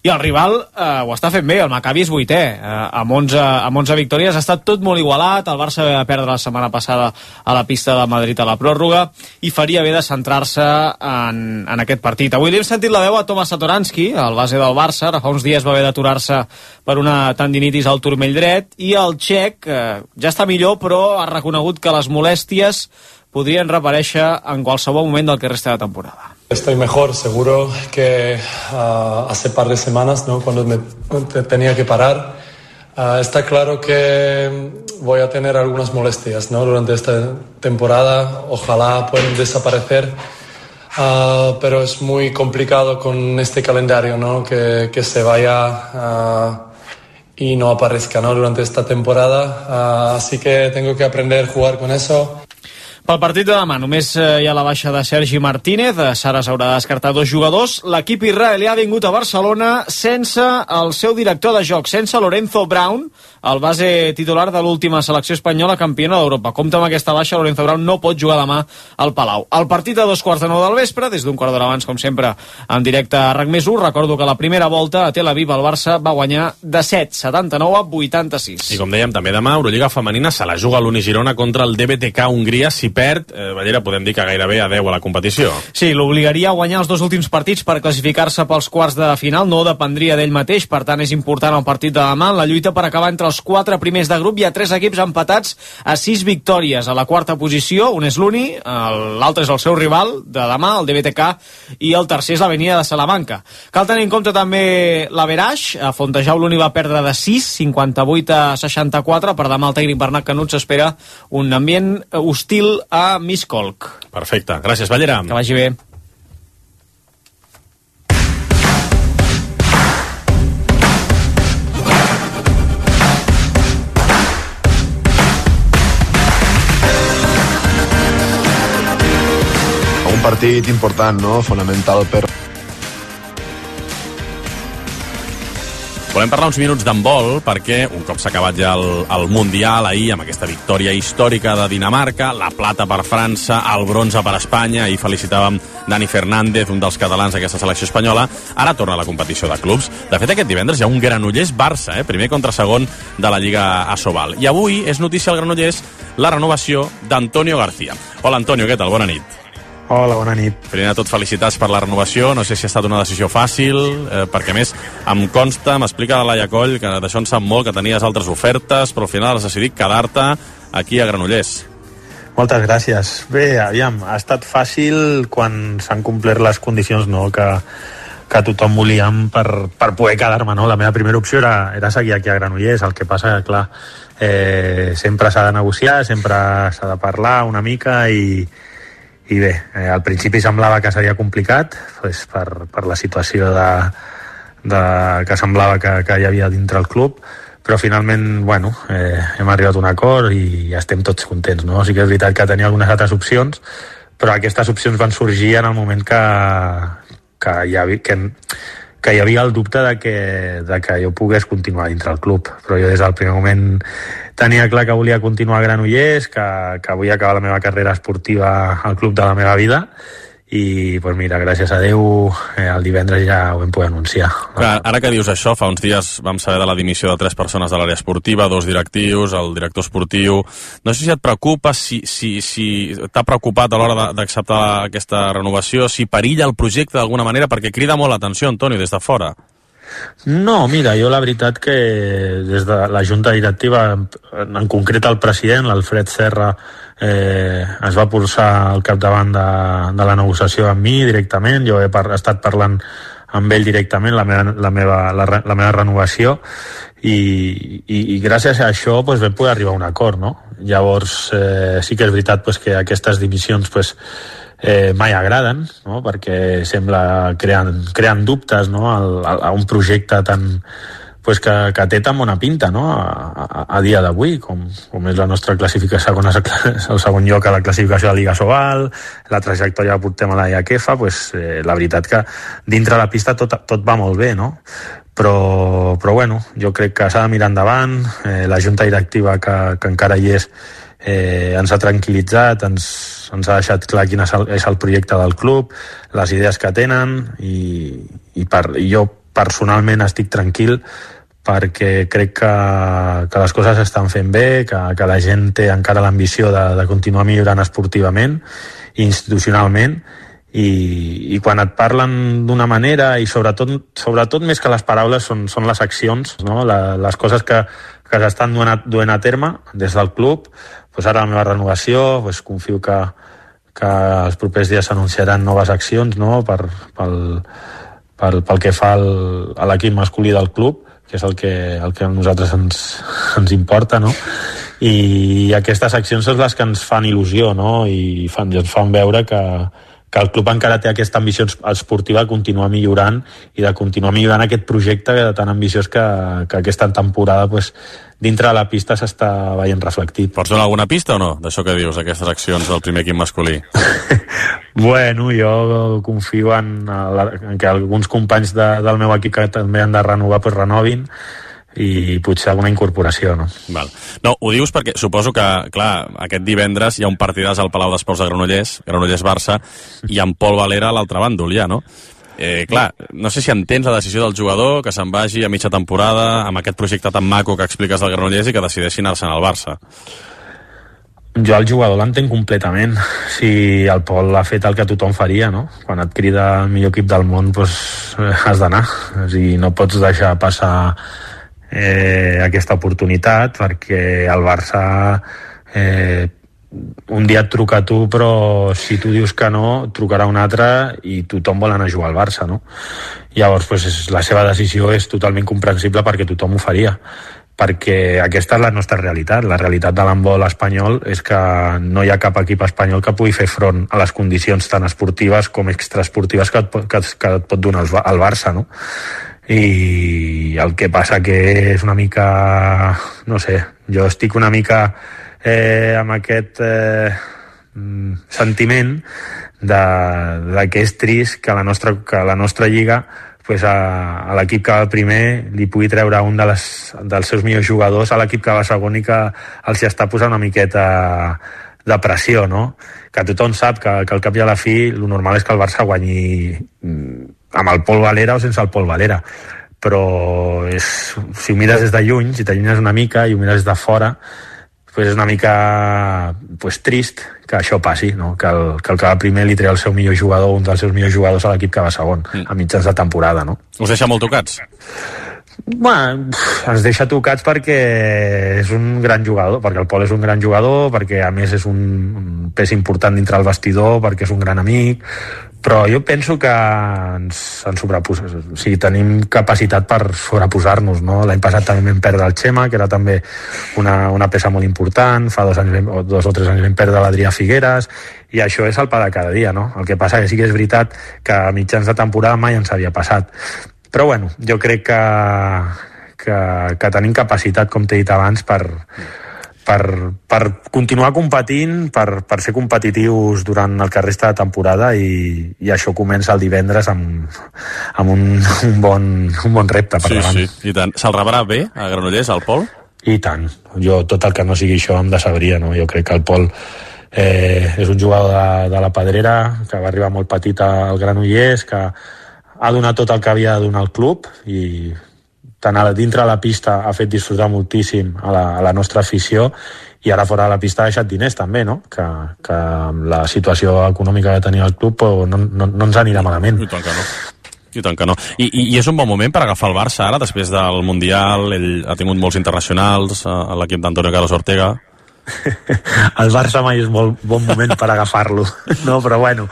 i el rival eh, ho està fent bé, el Maccabi és vuitè, eh, amb, onze, amb onze victòries, ha estat tot molt igualat, el Barça va perdre la setmana passada a la pista del Madrid a la pròrroga, i faria bé de centrar-se en, en aquest partit. Avui li hem sentit la veu a Tomas Satoranski, el base del Barça, ara fa uns dies va haver d'aturar-se per una tendinitis al turmell dret, i el txec eh, ja està millor, però ha reconegut que les molèsties podrien reaparèixer en qualsevol moment del que resta de temporada. Estoy mejor, seguro que uh, hace par de semanas, ¿no? Cuando me tenía que parar. Uh, está claro que voy a tener algunas molestias, ¿no? Durante esta temporada. Ojalá puedan desaparecer. Uh, pero es muy complicado con este calendario, ¿no? Que, que se vaya uh, y no aparezca, ¿no? Durante esta temporada. Uh, así que tengo que aprender a jugar con eso. Pel partit de demà només hi ha la baixa de Sergi Martínez. Sara s'haurà de descartar dos jugadors. L'equip israelià ha vingut a Barcelona sense el seu director de joc, sense Lorenzo Brown, el base titular de l'última selecció espanyola campiona d'Europa. Compte amb aquesta baixa, Lorenzo Brown no pot jugar demà al Palau. El partit a dos quarts de nou del vespre, des d'un quart d'hora abans, com sempre, en directe a RAC més u. Recordo que la primera volta a Tel Aviv el Barça va guanyar de set, setanta-nou a vuitanta-sis. I com dèiem, també demà, Eurolliga femenina se la juga l'Uni Girona contra el D B T K Hongria. Si perd, eh, Ballera, podem dir que gairebé a deu a la competició. Sí, l'obligaria a guanyar els dos últims partits per classificar-se pels quarts de final. No dependria d'ell mateix, per tant és important el partit de demà. La lluita per acabar entre els quatre primers de grup. Hi ha tres equips empatats a sis victòries. A la quarta posició, un és l'Uni, l'altre és el seu rival de demà, el D B T K, i el tercer és l'Avenida de Salamanca. Cal tenir en compte també l'Averaix. A Fontejau l'Uni va perdre de sis, cinquanta-vuit a seixanta-quatre. Per demà el tècnic Bernat Canut s'espera un ambient hostil a Miskolc. Perfecte. Gràcies, Ballera. Que vagi bé. Un partit important, no? Fonamental per... Volem parlar uns minuts d'handbol perquè un cop s'ha acabat ja el, el Mundial ahir amb aquesta victòria històrica de Dinamarca, la plata per França, el bronze per Espanya, i felicitàvem Dani Fernández, un dels catalans d'aquesta selecció espanyola. Ara torna a la competició de clubs. De fet, aquest divendres hi ha un Granollers-Barça, eh? primer contra segon de la Lliga Asobal. I avui és notícia al Granollers la renovació d'Antonio García. Hola, Antonio, què tal? Bona nit. Hola, bona nit. Primer de tot, felicitats per la renovació. No sé si ha estat una decisió fàcil, eh, perquè a més em consta, m'explica la Laia Coll, que d'això en sap molt, que tenies altres ofertes, però al final has decidit quedar-te aquí a Granollers. Moltes gràcies. Bé, aviam, ha estat fàcil quan s'han complert les condicions, no?, que, que tothom volíem per, per poder quedar-me, no? La meva primera opció era, era seguir aquí a Granollers. El que passa que, clar, eh, sempre s'ha de negociar, sempre s'ha de parlar una mica i i bé, eh, al principi semblava que seria complicat, pues, per, per la situació de, de, que semblava que, que hi havia dintre el club, però finalment, bueno, eh, hem arribat a un acord i estem tots contents, no? Sí que és veritat que tenia algunes altres opcions, però aquestes opcions van sorgir en el moment que, que, hi, havia, que, que hi havia el dubte de que, de que jo pogués continuar dintre el club, però jo des del primer moment tenia clar que volia continuar a Granollers, que, que volia acabar la meva carrera esportiva al club de la meva vida, i pues mira, gràcies a Déu eh, el divendres ja ho vam poder anunciar. Clar, ara que dius això, fa uns dies vam saber de la dimissió de tres persones de l'àrea esportiva, dos directius, el director esportiu. No sé si et preocupa, si, si, si t'ha preocupat a l'hora d'acceptar aquesta renovació, si perilla el projecte d'alguna manera, perquè crida molt l'atenció, Antonio, des de fora. No, mira, jo la veritat que des de la junta directiva, en concret el president, l'Alfred Serra, eh, es va posar al capdavant de, de la negociació amb mi directament. Jo he par estat parlant amb ell directament la meva, la meva, la, la meva renovació i, i, i gràcies a això pues, vam poder arribar a un acord, no? Llavors eh, sí que és veritat pues, que aquestes dimissions pues, eh, mai agraden, no? Perquè sembla creant, creant dubtes, no? a, a un projecte tan, pues, que, que té tan bona pinta, no? a, a, a dia d'avui, com, com és la nostra classificació, segons el segon lloc a la classificació de Lliga Sobal, la trajectòria que portem a la IAKEFA, pues, eh, la veritat que dintre la pista tot, tot va molt bé, no? Però, però bueno, jo crec que s'ha de mirar endavant, eh, la junta directiva que, que encara hi és eh, ens ha tranquil·litzat, ens, ens ha deixat clar quin és el, és el projecte del club, les idees que tenen i, i, per, i jo personalment estic tranquil perquè crec que, que les coses s'estan fent bé, que, que la gent té encara l'ambició de, de continuar millorant esportivament i institucionalment. I, i quan et parlen d'una manera i sobretot, sobretot més que les paraules són, són les accions, no? La, les coses que, que s'estan duent, duent a terme des del club, pues ara la meva renovació, pues confio que, que els propers dies s'anunciaran noves accions, no?, per, pel, pel, pel que fa al, a l'equip masculí del club, que és el que, el que a nosaltres ens, ens importa, no? I aquestes accions són les que ens fan il·lusió, no?, i fan, ens fan veure que, que el club encara té aquesta ambició esportiva de continuar millorant i de continuar millorant aquest projecte tan ambiciós que, que aquesta temporada pues, dintre de la pista s'està veient reflectit. Pots donar alguna pista o no, d'això que dius, aquestes accions del primer equip masculí? Bueno, jo confio en, en que alguns companys de, del meu equip que també han de renovar, pues renovin, i potser alguna incorporació, no? Val. No, ho dius perquè suposo que, clar, aquest divendres hi ha un partidàs al Palau d'Esports de Granollers, Granollers-Barça, i en Pol Valera a l'altre bàndol ja, no? Eh, clar, no sé si entens la decisió del jugador que se'n vagi a mitja temporada amb aquest projecte tan maco que expliques del Granollers i que decideixi anar-se'n al Barça. Jo el jugador l'entenc completament. Si el Pol ha fet el que tothom faria, no? Quan et crida el millor equip del món, doncs has d'anar. O sigui, no pots deixar passar eh, aquesta oportunitat, perquè el Barça eh, un dia et truca a tu, però si tu dius que no, trucarà un altre i tothom vol anar a jugar al Barça, no? Llavors, pues, la seva decisió és totalment comprensible perquè tothom ho faria, perquè aquesta és la nostra realitat. La realitat de l'handbol espanyol és que no hi ha cap equip espanyol que pugui fer front a les condicions tan esportives com extraesportives que et, que, que et pot donar el Barça, no? I el que passa que és una mica, no sé, jo estic una mica eh, amb aquest eh, sentiment de, de que és trist que la nostra, que la nostra lliga pues a, a l'equip que va primer li pugui treure un de les, dels seus millors jugadors a l'equip que va segon i que els hi està posant una miqueta de pressió, no? Que tothom sap que, que al cap i a la fi el normal és que el Barça guanyi amb el Pol Valera o sense el Pol Valera, però és, si ho mires des de lluny, si t'allunyes una mica i ho mires des de fora, pues és una mica pues, trist que això passi, no? Que, el, que el que va primer li treu el seu millor jugador, un dels seus millors jugadors a l'equip que va segon, mm. a mitjans de temporada, no? Us deixa molt tocats? Bueno, ens deixa tocats perquè és un gran jugador, perquè el Pol és un gran jugador, perquè a més és un, un pes important dintre el vestidor, perquè és un gran amic, però jo penso que ens, ens sobreposem, o sigui, tenim capacitat per sobreposar-nos, no? L'any passat també vam perdre el Xema, que era també una, una peça molt important, fa dos, anys, o dos o tres anys vam perdre l'Adrià Figueres, i això és el pa de cada dia, no? El que passa que sí que és veritat que a mitjans de temporada mai ens havia passat. Però bueno, jo crec que, que, que tenim capacitat, com t'he dit abans, per, per, per continuar competint, per, per ser competitius durant el que resta de temporada, i, i això comença el divendres amb, amb un, un, bon, un bon repte per sí, davant. Sí, i tant. Se'l rebrà bé a Granollers, el Pol? I tant. Jo, tot el que no sigui això em decebria, no? Jo crec que el Pol eh, és un jugador de, de la Pedrera, que va arribar molt petit al Granollers, que ha donat tot el que havia de donar al club, i tant a dintre de la pista ha fet disfrutar moltíssim a la, a la nostra afició, i ara fora de la pista ha deixat diners també, no? Que, que amb la situació econòmica que tenia el club no, no, no ens anirà malament. I tant que no. I tant que no. I, i, I és un bon moment per agafar el Barça ara, després del Mundial, ell ha tingut molts internacionals, a l'equip d'Antonio Carlos Ortega. El Barça mai és molt bon moment per agafar-lo, no? Però bueno,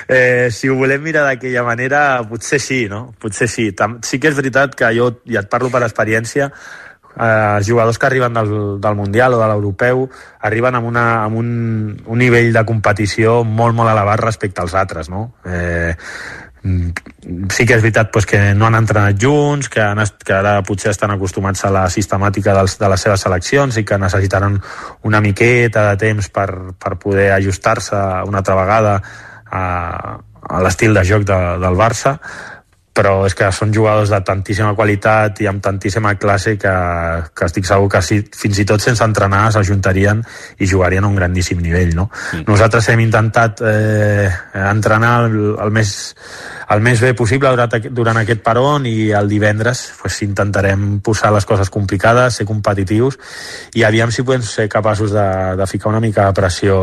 eh, si ho volem mirar d'aquella manera, potser sí, no? Potser sí. Sí que és veritat que jo, ja et parlo per experiència, eh, els jugadors que arriben del, del Mundial o de l'Europeu arriben amb, una, amb un, un nivell de competició molt, molt elevat respecte als altres, no? Eh, sí que és veritat pues, que no han entrenat junts, que, han, que ara potser estan acostumats a la sistemàtica dels, de les seves seleccions i que necessitaran una miqueta de temps per, per poder ajustar-se una altra vegada a, a l'estil de joc de, del Barça, però és que són jugadors de tantíssima qualitat i amb tantíssima classe que, que estic segur que si, fins i tot sense entrenar s'ajuntarien i jugarien a un grandíssim nivell, no? Mm. Nosaltres hem intentat eh, entrenar el, el, més, el més bé possible durant, durant aquest peron, i el divendres pues, intentarem posar les coses complicades, ser competitius, i aviam si podem ser capaços de, de ficar una mica de pressió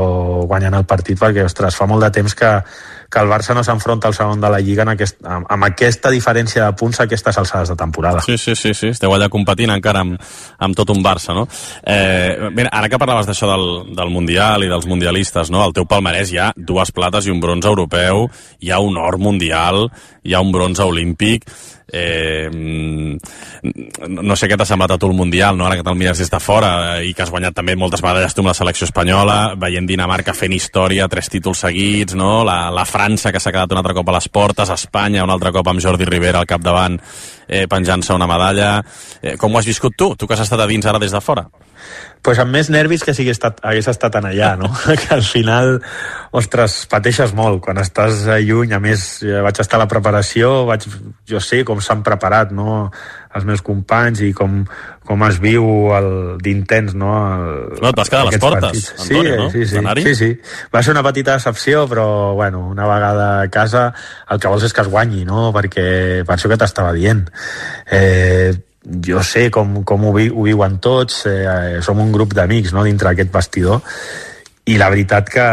guanyant el partit, perquè, ostres, fa molt de temps que que el Barça no s'enfronta al segon de la Lliga en aquest, amb, amb aquesta diferència de punts a aquestes alçades de temporada. Sí, sí, sí, sí. Esteu allà competint encara amb, amb tot un Barça, no? Eh, mira, ara que parlaves d'això del, del Mundial i dels mundialistes, no? Al teu palmarès hi ha dues plates i un bronze europeu, hi ha un or mundial, hi ha un bronze olímpic. Eh, no sé què t'ha semblat a tu el Mundial, no? Ara que te'l mires des de fora i que has guanyat també moltes medalles tu amb la selecció espanyola, veient Dinamarca fent història, tres títols seguits, no? La, la França que s'ha quedat un altre cop a les portes, Espanya un altre cop amb Jordi Rivera al capdavant eh, penjant-se una medalla. Eh, com ho has viscut tu? Tu que has estat a dins ara des de fora. Pues amb més nervis que si hagués estat, hagués estat en allà, no? Que al final, ostres, pateixes molt quan estàs lluny. A més, vaig estar a la preparació, vaig, jo sé com s'han preparat, no?, els meus companys i com, com es viu d'intens, no? El, no, t'has quedat a les portes, partits. Antonio, no? Sí, sí, sí, sí. Va ser una petita decepció, però, bueno, una vegada a casa el que vols és que es guanyi, no? Perquè per això que t'estava dient. Eh, jo sé com, com ho, vi, ho viuen tots, eh, som un grup d'amics, no?, dintre d'aquest vestidor, i la veritat que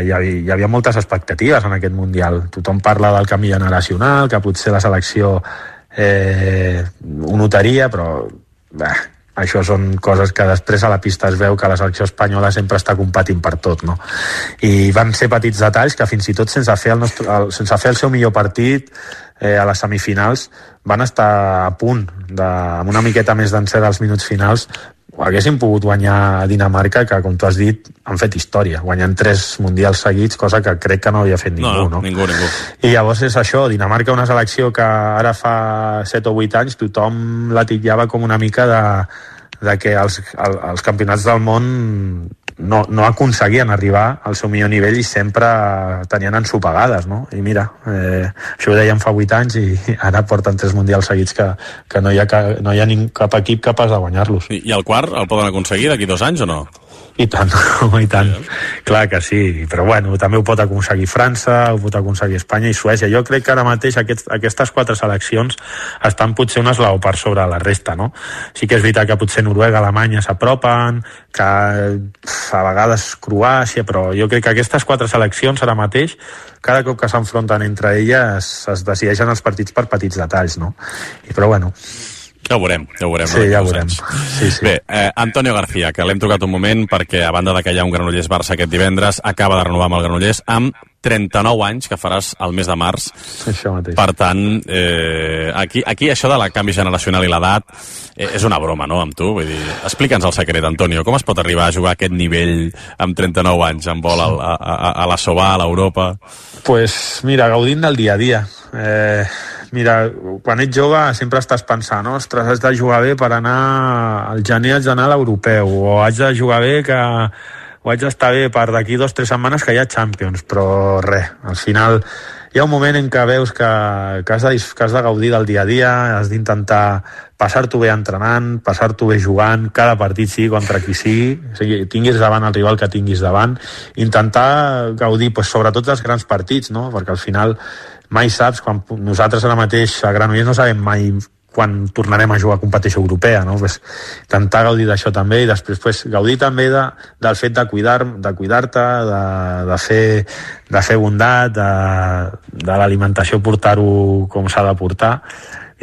hi havia, hi havia moltes expectatives en aquest Mundial. Tothom parla del canvi generacional, que potser la selecció eh, ho notaria, però bah, això són coses que després a la pista es veu que la selecció espanyola sempre està competint per tot, no? I van ser petits detalls que fins i tot sense fer el, nostre, el, sense fer el seu millor partit eh, a les semifinals van estar a punt de, amb una miqueta més d'encert als minuts finals haguessin pogut guanyar a Dinamarca, que com tu has dit han fet història, guanyant tres mundials seguits, cosa que crec que no havia fet ningú, no, no, no? ningú, ningú. I llavors és això, Dinamarca, una selecció que ara fa set o vuit anys tothom la titllava com una mica de, de que els, el, els campionats del món no, no aconseguien arribar al seu millor nivell i sempre tenien ensopegades, no? I mira, eh, això ho dèiem fa vuit anys i ara porten tres mundials seguits que, que no hi ha, no hi ha ning, cap equip capaç de guanyar-los. I, I el quart el poden aconseguir d'aquí dos anys o no? I tant, i tant. Clar que sí, però bueno, també ho pot aconseguir França, ho pot aconseguir Espanya i Suècia. Jo crec que ara mateix aquest, aquestes quatre seleccions estan potser un esglaó per sobre la resta, no? Sí que és veritat que potser Noruega, Alemanya s'apropen, que a vegades Croàcia, però jo crec que aquestes quatre seleccions ara mateix, cada cop que s'enfronten entre elles es decideixen els partits per petits detalls, no? I però bueno... Ja ho veurem, ja ho veurem. Sí, ja ho veurem. Sí, sí. Bé, eh, Antonio García, que l'hem tocat un moment perquè, a banda de que hi ha un Granollers-Barça aquest divendres, acaba de renovar amb el Granollers amb trenta-nou anys, que faràs el mes de març. Això mateix. Per tant, eh, aquí, aquí això de la canvi generacional i l'edat eh, és una broma, no?, amb tu. Vull dir, explica'ns el secret, Antonio. Com es pot arribar a jugar a aquest nivell amb trenta-nou anys, amb vol a, a, a, a la Sobà, a l'Europa? Pues mira, gaudint del dia a dia. Eh, mira, quan ets jove sempre estàs pensant, ostres, has de jugar bé per anar al gener haig d'anar a l'europeu, o haig de jugar bé que o haig d'estar bé per d'aquí dos o tres setmanes que hi ha Champions, però res, al final hi ha un moment en què veus que, que, has, de, que has de gaudir del dia a dia, has d'intentar passar-t'ho bé entrenant, passar-t'ho bé jugant, cada partit sigui contra qui sigui, o sigui, tinguis davant el rival que tinguis davant, intentar gaudir pues, sobretot dels grans partits, no? Perquè al final mai saps, quan nosaltres ara mateix a Granollers no sabem mai quan tornarem a jugar a competició europea, no? Pues, intentar gaudir d'això també i després pues, gaudir també de, del fet de cuidar de cuidar-te, de, de, fer, de fer bondat, de, de l'alimentació portar-ho com s'ha de portar.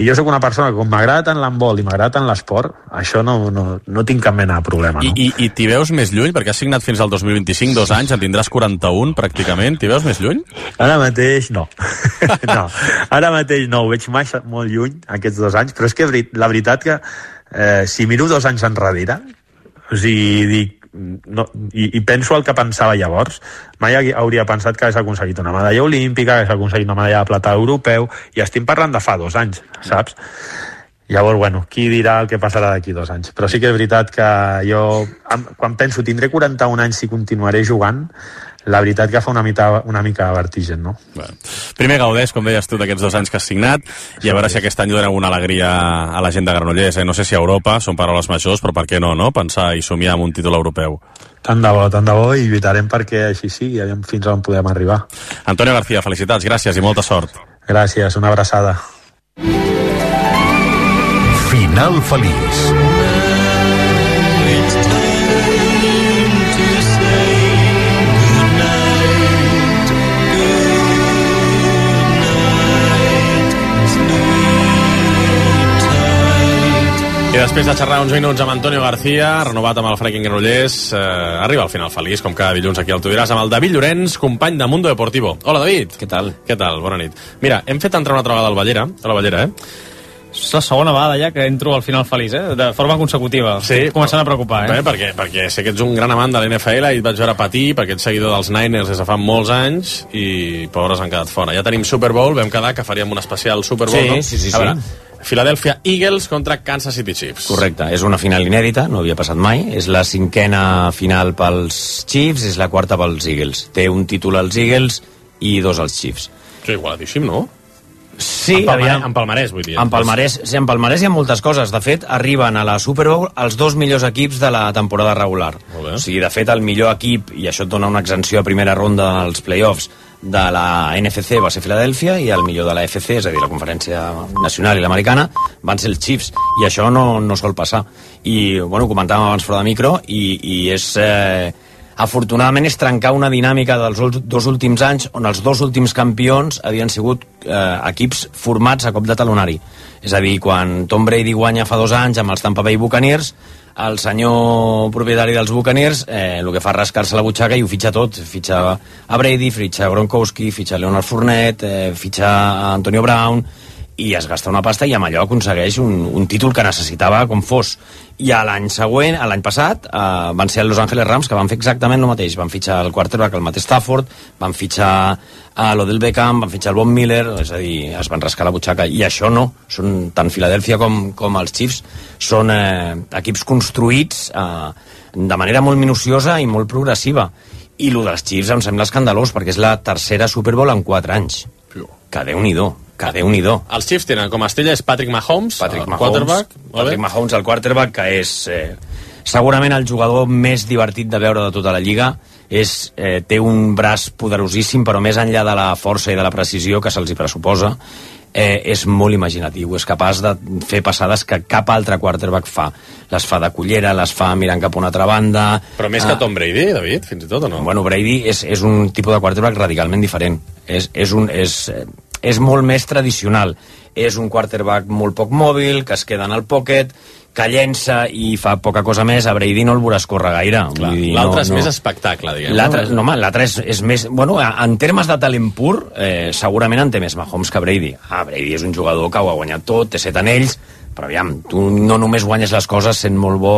I jo sóc una persona que com m'agrada tant l'handbol i m'agrada tant l'esport, això no, no, no tinc cap mena de problema, no? I, i, i t'hi veus més lluny? Perquè has signat fins al dos mil vint-i-cinc, dos anys, en tindràs quaranta-un pràcticament, t'hi veus més lluny? Ara mateix no. no. Ara mateix no, ho veig massa, molt lluny aquests dos anys, però és que la veritat que eh, si miro dos anys enrere, o sigui, dic, no, i, i penso el que pensava llavors, mai hauria pensat que hagués aconseguit una medalla olímpica, que hagués aconseguit una medalla de plata europeu, i estem parlant de fa dos anys, saps? Llavors, bueno, qui dirà el que passarà d'aquí dos anys? Però sí que és veritat que jo, quan penso tindré quaranta-un anys si continuaré jugant, la veritat que fa una mica, una mica de vertigen, no? Bueno. Primer gaudeix, com deies tu, d'aquests dos anys que has signat, i a veure si aquest any doneu una alegria a la gent de Granollers. Eh? No sé si a Europa, són paraules majors, però per què no, no? Pensar i somiar amb un títol europeu. Tant de bo, tant de bo, i lluitarem perquè així sí, i aviam fins on podem arribar. Antonio García, felicitats, gràcies i molta sort. Gràcies, una abraçada. Final feliç. I després de xerrar uns minuts amb Antonio García, renovat amb el Franklin Granollers, eh, arriba al final feliç, com cada dilluns aquí al Tu diràs, amb el David Llorenç, company de Mundo Deportivo. Hola, David. Què tal? Què tal? Bona nit. Mira, hem fet entrar una altra vegada al Ballera, a la Ballera, eh? És la segona vegada ja que entro al final feliç, eh? De forma consecutiva. Sí. Estic començant a preocupar, eh? Bé, perquè, perquè sé que ets un gran amant de l'N F L i et vaig veure patir perquè ets seguidor dels Niners des de fa molts anys i pobres han quedat fora. Ja tenim Super Bowl, vam quedar que faríem un especial Super Bowl, Sí, no? sí, sí, A veure, sí. Philadelphia Eagles contra Kansas City Chiefs. Correcte, és una final inèdita, no havia passat mai. És la cinquena final pels Chiefs, és la quarta pels Eagles. Té un títol als Eagles i dos als Chiefs. Que igualadíssim, no? Sí, en, palmarès, aviam. en palmarès, vull dir. En palmarès, sí, en palmarès hi ha moltes coses. De fet, arriben a la Super Bowl els dos millors equips de la temporada regular. O sigui, de fet, el millor equip, i això et dona una exempció a primera ronda als playoffs, de la N F C va ser Filadèlfia i el millor de la F C, és a dir, la Conferència Nacional i l'Americana, van ser els Chiefs, i això no, no sol passar. I, bueno, ho comentàvem abans fora de micro, i, i és... Eh, afortunadament és trencar una dinàmica dels dos últims anys on els dos últims campions havien sigut eh, equips formats a cop de talonari. És a dir, quan Tom Brady guanya fa dos anys amb els Tampa Bay Buccaneers, el senyor propietari dels Buccaneers eh, el que fa és rascar-se la butxaca i ho fitxa tot. Fitxa a Brady, fitxa a Gronkowski, fitxa a Leonard Fournette, eh, fitxa a Antonio Brown, i es gasta una pasta i amb allò aconsegueix un, un títol que necessitava com fos. I a l'any següent, a l'any passat, eh, van ser els Los Angeles Rams que van fer exactament el mateix. Van fitxar el quarterback, el Matt Stafford, van fitxar a l'Odell Beckham, van fitxar el Von Miller, és a dir, es van rascar la butxaca. I això no, són tant Philadelphia com, com els Chiefs, són eh, equips construïts eh, de manera molt minuciosa i molt progressiva. I el dels Chiefs em sembla escandalós, perquè és la tercera Super Bowl en quatre anys. Que Déu-n'hi-do. Que Déu-n'hi-do. Els Chiefs tenen com a estrella és Patrick Mahomes, Patrick el Mahomes, quarterback. Patrick Mahomes, el quarterback, que és eh, segurament el jugador més divertit de veure de tota la lliga. És, eh, té un braç poderosíssim, però més enllà de la força i de la precisió que se'ls hi pressuposa, eh, és molt imaginatiu. És capaç de fer passades que cap altre quarterback fa. Les fa de cullera, les fa mirant cap a una altra banda. Però més que Tom Brady, David, fins i tot, o no? Bueno, Brady és, és un tipus de quarterback radicalment diferent. És, és un... És, és molt més tradicional. És un quarterback molt poc mòbil, que es queda en el pocket, que llença i fa poca cosa més. A Brady no el veuràs córrer gaire. L'altre no, és no. més espectacle, diguem. L'altre no, home, l'altre és, és més... Bueno, en termes de talent pur, eh, segurament en té més Mahomes que Brady. Ah, Brady és un jugador que ho ha guanyat tot, té set anells, però aviam, tu no només guanyes les coses sent molt bo.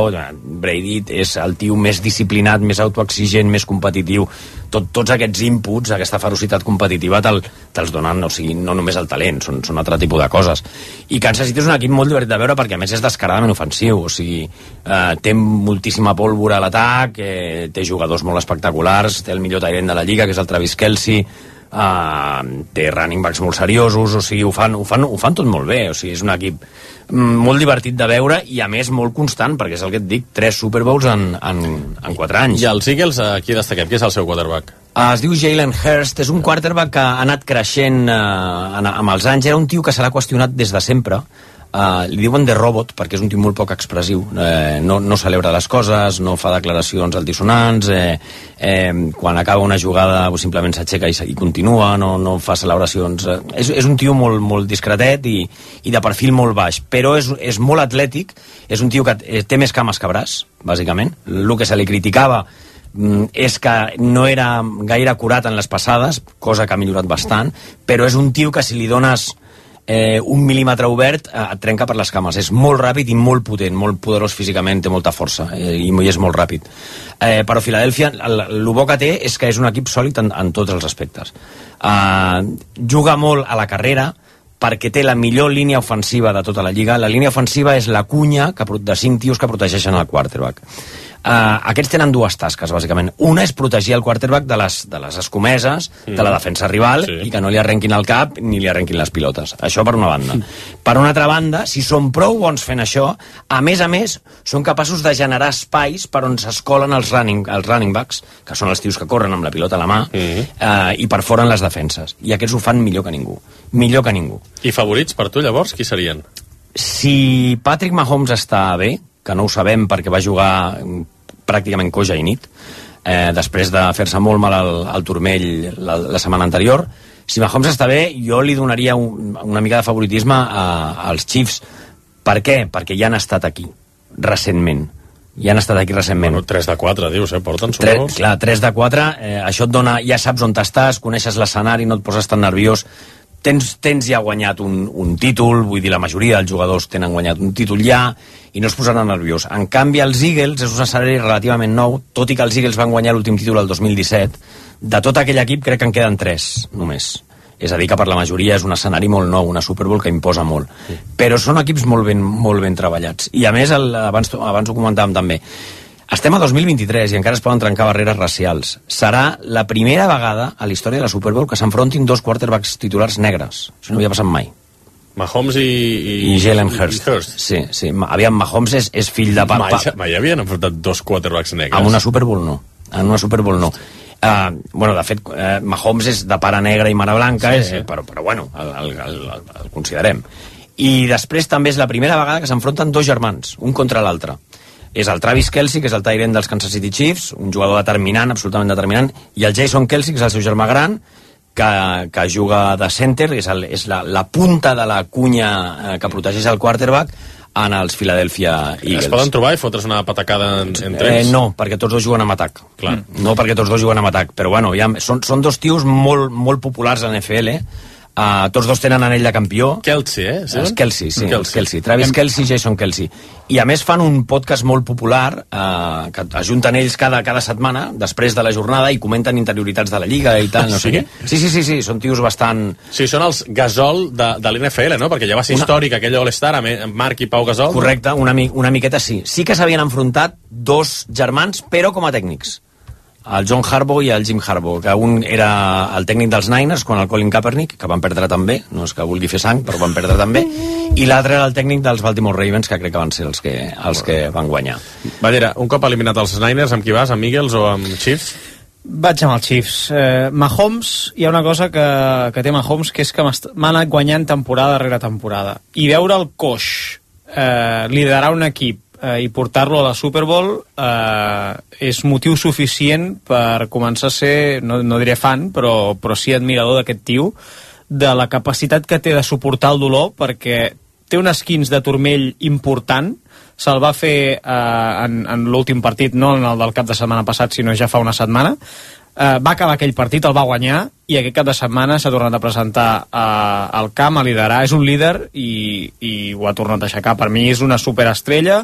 Brady és el tio més disciplinat, més autoexigent, més competitiu. Tot, tots aquests inputs, aquesta ferocitat competitiva te'l, te'ls donen, o sigui, no només el talent, són, són altre tipus de coses. I Kansas City és un equip molt divertit de veure perquè a més és descaradament ofensiu, o sigui, eh, té moltíssima pólvora a l'atac, eh, té jugadors molt espectaculars, té el millor tight end de la lliga, que és el Travis Kelce, Uh, té running backs molt seriosos, o sigui, ho fan, ho, fan, ho fan tot molt bé, o sigui, és un equip molt divertit de veure i a més molt constant, perquè és el que et dic, tres Super Bowls en, en, en quatre anys. I els Eagles, aquí destaquem, qui és el seu quarterback? Uh, es diu Jalen Hurst, és un quarterback que ha anat creixent uh, en, amb els anys, era un tio que se l'ha qüestionat des de sempre. Uh, li diuen de robot perquè és un tio molt poc expressiu, eh, no, no celebra les coses, no fa declaracions altisonants, eh, eh, quan acaba una jugada simplement s'aixeca i, i continua, no, no fa celebracions, eh, és, és un tio molt, molt discretet i, i de perfil molt baix, però és, és molt atlètic, és un tio que té més cames que braç, bàsicament. El que se li criticava és que no era gaire acurat en les passades, cosa que ha millorat bastant, però és un tio que si li dones Eh, un mil·límetre obert eh, et trenca per les cames. És molt ràpid i molt potent, molt poderós físicament, té molta força eh, i és molt ràpid. Eh, però Filadèlfia, el, el bo que té és que és un equip sòlid en, en tots els aspectes. Eh, juga molt a la carrera perquè té la millor línia ofensiva de tota la lliga. La línia ofensiva és la cunya que, de cinc tios que protegeixen el quarterback. Uh, aquests tenen dues tasques, bàsicament. Una és protegir el quarterback de les, de les escomeses, mm. de la defensa rival, sí. i que no li arrenquin el cap ni li arrenquin les pilotes. Això per una banda. Mm. Per una altra banda, si són prou bons fent això, a més a més, són capaços de generar espais per on s'escolen els running, els running backs, que són els tios que corren amb la pilota a la mà, mm. uh, i perforen les defenses. I aquests ho fan millor que ningú. Millor que ningú. I favorits per tu, llavors, qui serien? Si Patrick Mahomes està bé, que no ho sabem perquè va jugar pràcticament coja i nit, eh, després de fer-se molt mal al, al turmell la, la setmana anterior. Si Mahomes està bé, jo li donaria un, una mica de favoritisme a, als Chiefs, Per què? Perquè ja han estat aquí, recentment. Ja han estat aquí recentment. Bueno, tres de quatre, dius, eh? Porten Tre, Super Bowls. clar, tres de quatre, eh, això et dona, ja saps on estàs, coneixes l'escenari, no et poses tan nerviós, tens, tens ja guanyat un, un títol, vull dir, la majoria dels jugadors tenen guanyat un títol ja, i no es posaran nerviós. En canvi, els Eagles és un escenari relativament nou, tot i que els Eagles van guanyar l'últim títol el dos mil disset, de tot aquell equip crec que en queden tres, només. És a dir, que per la majoria és un escenari molt nou, una Super Bowl que imposa molt. Sí. Però són equips molt ben, molt ben treballats. I a més, el, abans, abans ho comentàvem també, estem a dos mil vint-i-tres i encara es poden trencar barreres racials. Serà la primera vegada a la història de la Super Bowl que s'enfrontin dos quarterbacks titulars negres. Això no havia passat mai. Mahomes i... I, I Jalen Hurts. Hurst. Sí, sí. Aviam, Mahomes és, és fill de... Mai, mai havien enfrontat dos quarterbacks negres. En una Super Bowl no. En una Super Bowl no. Uh, bueno, de fet, uh, Mahomes és de pare negre i mare blanca, sí, sí. Eh, però, però bueno, el, el, el, el considerem. I després també és la primera vegada que s'enfronten dos germans, un contra l'altre. És el Travis Kelce, que és el tight end dels Kansas City Chiefs, un jugador determinant, absolutament determinant, i el Jason Kelce, que és el seu germà gran, que, que juga de center, és, el, és la, la punta de la cunya eh, que protegeix el quarterback, en els Philadelphia Eagles. Es poden trobar i fotre's una patacada en, entre ells? Eh, no, perquè tots dos juguen amb atac. Clar. No perquè tots dos juguen amb atac, però bueno, ja, són, són dos tios molt, molt populars a N F L, uh, tots dos tenen anell de campió. Kelce, eh? Sí? Es Kelce, sí, Kelce. Kelce. Travis Kelce i Jason Kelce. I a més fan un podcast molt popular, uh, que ajunten ells cada, cada setmana, després de la jornada, i comenten interioritats de la Lliga i tal, no sí? sé què. Sí, sí, sí, sí, són tios bastant... Sí, són els Gasol de, de l'N F L, no? Perquè ja va ser una... històric aquell All-Star amb Marc i Pau Gasol. Correcte, una, mi una miqueta sí. Sí que s'havien enfrontat dos germans, però com a tècnics. El John Harbaugh i el Jim Harbaugh, que un era el tècnic dels Niners, quan el Colin Kaepernick, que van perdre també, no és que vulgui fer sang, però van perdre també, i l'altre era el tècnic dels Baltimore Ravens, que crec que van ser els que, els que van guanyar. Ballera, un cop eliminat els Niners, amb qui vas? Amb Eagles o amb Chiefs? Vaig amb els Chiefs. Eh, Mahomes, hi ha una cosa que, que té Mahomes, que és que m'ha anat guanyant temporada rere temporada. I veure el coix eh, liderar un equip eh, i portar-lo a la Super Bowl eh, és motiu suficient per començar a ser, no, no diré fan, però, però sí admirador d'aquest tio, de la capacitat que té de suportar el dolor, perquè té un esquins de turmell important, se'l va fer eh, en, en l'últim partit, no en el del cap de setmana passat, sinó ja fa una setmana. Eh, va acabar aquell partit, el va guanyar, i aquest cap de setmana s'ha tornat a presentar eh, al camp, a liderar. És un líder i, i ho ha tornat a aixecar. Per mi és una superestrella.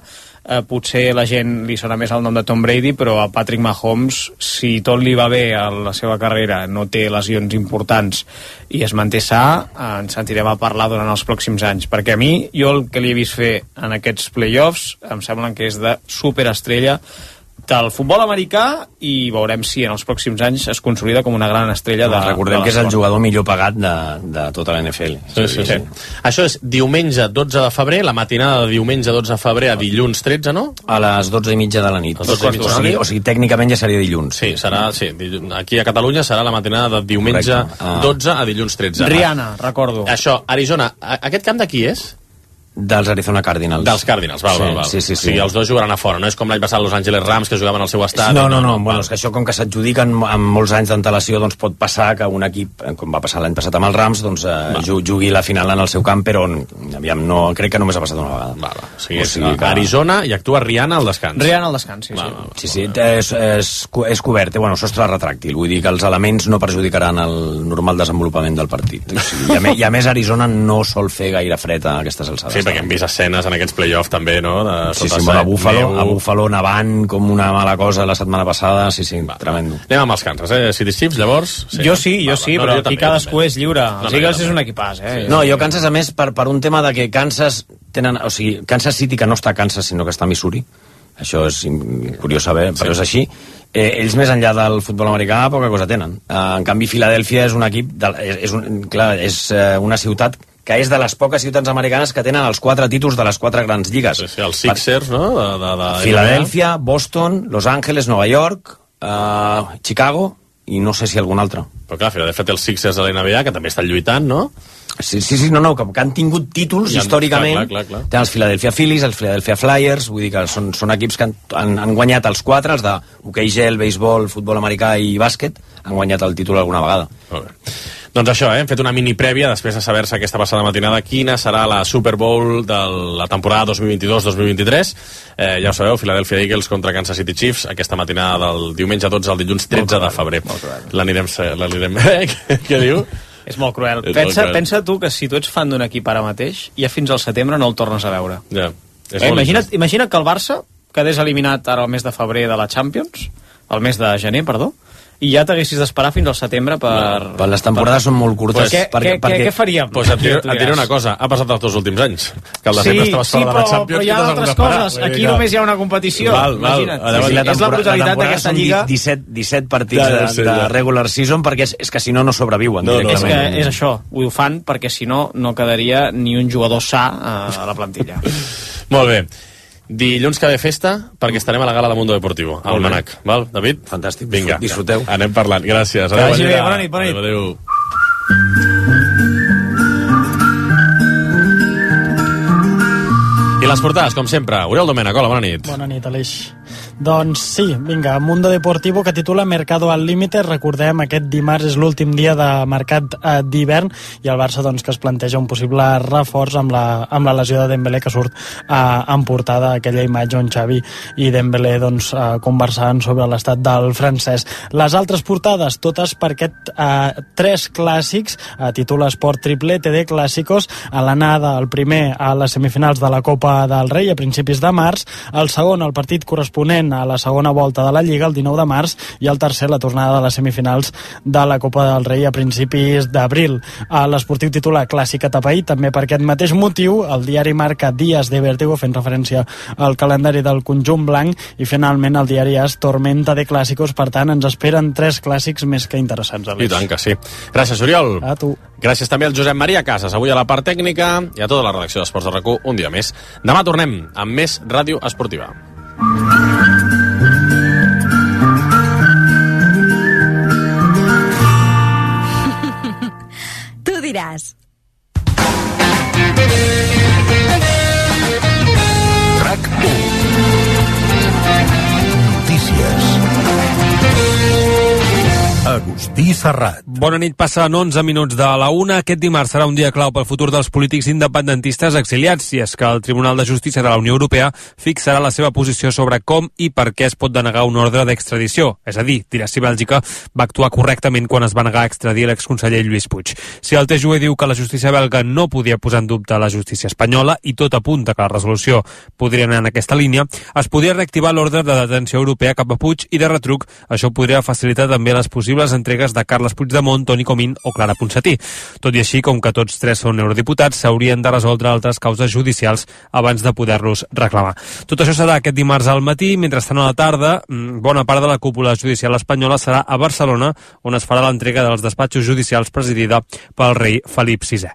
Eh, potser la gent li sona més el nom de Tom Brady, però a Patrick Mahomes, si tot li va bé a la seva carrera, no té lesions importants i es manté sa, eh, ens sentirem a parlar durant els pròxims anys, perquè a mi, jo el que li he vist fer en aquests playoffs em sembla que és de superestrella del futbol americà, i veurem si en els pròxims anys es consolida com una gran estrella de, recordem de que és el jugador millor pagat de, de tota la N F L. Sí, sí, sí. sí. Això és diumenge dotze de febrer, la matinada de diumenge dotze de febrer a dilluns tretze, no? A les dotze i mitja de la nit. dotze i mitja. O sigui, o sigui, tècnicament ja seria dilluns. Sí, serà, sí, aquí a Catalunya serà la matinada de diumenge ah. dotze a dilluns tretze. Rihanna, recordo. Això, Arizona, aquest camp de qui és? Dels Arizona Cardinals. Dels Cardinals, val, sí, val, val. Sí, sí, sí. O sigui, els dos jugaran a fora, no és com l'any passat Los Angeles Rams, que jugaven al seu estat. No, no, no, no. Bueno, és que això, com que s'adjudiquen amb molts anys d'antelació, doncs pot passar que un equip, com va passar l'any passat amb els Rams, doncs eh, jugui la final en el seu camp, però aviam, no, crec que només ha passat una vegada. Va, va. O sigui, o sigui que... Arizona i actua Rihanna al descans. Rihanna al descans, sí, va, sí. Va, va, sí, sí, és, és, és cobert, eh? Bueno, sostre retràctil, vull dir que els elements no perjudicaran el normal desenvolupament del partit. O sigui, i, a més, I a més Arizona no sol fer gaire fred a aquestes alçades. Sí, perquè hem vist escenes en aquests play-offs també, no? De sí, sí, a Buffalo, a Buffalo nevant com una mala cosa la setmana passada, sí, sí, va, tremendo. Anem amb els Kansas, eh? City Chiefs, llavors? Sí, jo sí, jo va, sí, va. Però no, aquí cadascú és lliure. Els no, Eagles no, és un equipàs, eh? No, jo Kansas, a més, per, per un tema de que Kansas tenen... O sigui, Kansas City, que no està a Kansas, sinó que està a Missouri, això és curiós saber, però sí. És així. Eh, ells, més enllà del futbol americà, poca cosa tenen. Eh, en canvi, Filadèlfia és un equip... De, és, és, un, clar, és eh, una ciutat que és de les poques ciutats americanes que tenen els quatre títols de les quatre grans lligues. Sí, sí, els Sixers, per... no? De, de, de... Filadèlfia, Boston, Los Angeles, Nova York, uh, Chicago i no sé si algun altre. Però clar, Filadèlfia té els Sixers de la N B A, que també estan lluitant, no? Sí, sí, sí no, no, que, que han tingut títols han, històricament. Clar, clar, clar. Tenen els Philadelphia Phillies, els Philadelphia Flyers, vull dir que són, són equips que han, han, han guanyat els quatre, els d'hoquei gel, béisbol, futbol americà i bàsquet, han guanyat el títol alguna vegada. Molt bé. Doncs això, eh? hem fet una mini prèvia després de saber-se aquesta passada matinada quina serà la Super Bowl de la temporada dos mil vint-i-dos dos mil vint-i-tres. Eh, ja ho sabeu, Philadelphia Eagles contra Kansas City Chiefs, aquesta matinada del diumenge dotze al dilluns tretze de febrer. L'anirem... l'anirem... Què diu? És molt cruel. És pensa, molt cruel. pensa tu que si tu ets fan d'un equip ara mateix, ja fins al setembre no el tornes a veure. Ja, és eh, molt imagina't, imagina't que el Barça quedés eliminat ara el mes de febrer de la Champions, el mes de gener, perdó, i ja t'haguessis d'esperar fins al setembre per... No, per les temporades per... són molt curtes. Pues, què, perquè, què, perquè... què faríem? Pues et, diré, et diré una cosa, ha passat els dos últims anys, que el de sí, sempre estaves sí, fora però, de la Champions. però hi ha altres coses. Aquí Val. només hi ha una competició. Val, val. Imagina't. Llavors, Sí, la és la brutalitat la d'aquesta són lliga. disset, disset partits Ja, ja, de, sí, de ja. regular season, perquè és, és que si no, no sobreviuen No, no, És directament. que és això, ho fan perquè si no, no quedaria ni un jugador sa a la plantilla. Molt bé. Dilluns que ve festa, perquè estarem a la gala de Mundo Deportivo, al Manac. Val, David? Fantàstic, vinga, disfruteu. Anem parlant, gràcies. Que vagi bé, bona nit, bona nit. Adéu, adéu. I les portades, com sempre. Oriol Domènech, hola, bona nit. Bona nit, Aleix. Doncs sí, vinga, Mundo Deportivo, que titula Mercado al límite. Recordem, aquest dimarts és l'últim dia de mercat eh, d'hivern i el Barça doncs, que es planteja un possible reforç amb la, amb la lesió de Dembélé, que surt eh, en portada aquella imatge on Xavi i Dembélé doncs, eh, conversaven sobre l'estat del francès. Les altres portades, totes per aquest eh, tres clàssics, eh, titula Esport Triplete de Clàssicos, a l'anada, el primer a les semifinals de la Copa del Rei a principis de març, el segon el partit corresponent a la segona volta de la Lliga el dinou de març i el tercer la tornada de les semifinals de la Copa del Rei a principis d'abril. L'Esportiu titula Clàssic atapeït, també per aquest mateix motiu. El diari marca Dies de Vértigo, fent referència al calendari del conjunt blanc, i finalment el diari és Tormenta de Clàssicos. Per tant, ens esperen tres clàssics més que interessants. I tant que sí. Gràcies, Oriol. A tu. Gràcies també al Josep Maria Casas, avui a la part tècnica, i a tota la redacció d'Esports de RAC u, un dia més. Demà tornem amb més ràdio esportiva. Tu diràs. RAC u. Notícies. Agustí Serrat. Bona nit, passen onze minuts de la una. Aquest dimarts serà un dia clau pel futur dels polítics independentistes exiliats, i és que el Tribunal de Justícia de la Unió Europea fixarà la seva posició sobre com i per què es pot denegar un ordre d'extradició. És a dir, dirà si Bèlgica va actuar correctament quan es va negar a extradir l'exconseller Lluís Puig. Si el T J U E diu que la justícia belga no podia posar en dubte la justícia espanyola, i tot apunta que la resolució podria anar en aquesta línia, es podria reactivar l'ordre de detenció europea cap a Puig, i de retruc això podria facilitar també les possibles entregues de Carles Puigdemont, Toni Comín o Clara Ponsatí. Tot i així, com que tots tres són eurodiputats, s'haurien de resoldre altres causes judicials abans de poder-los reclamar. Tot això serà aquest dimarts al matí. Mentrestant, a la tarda, bona part de la cúpula judicial espanyola serà a Barcelona, on es farà l'entrega dels despatxos judicials presidida pel rei Felip sisè.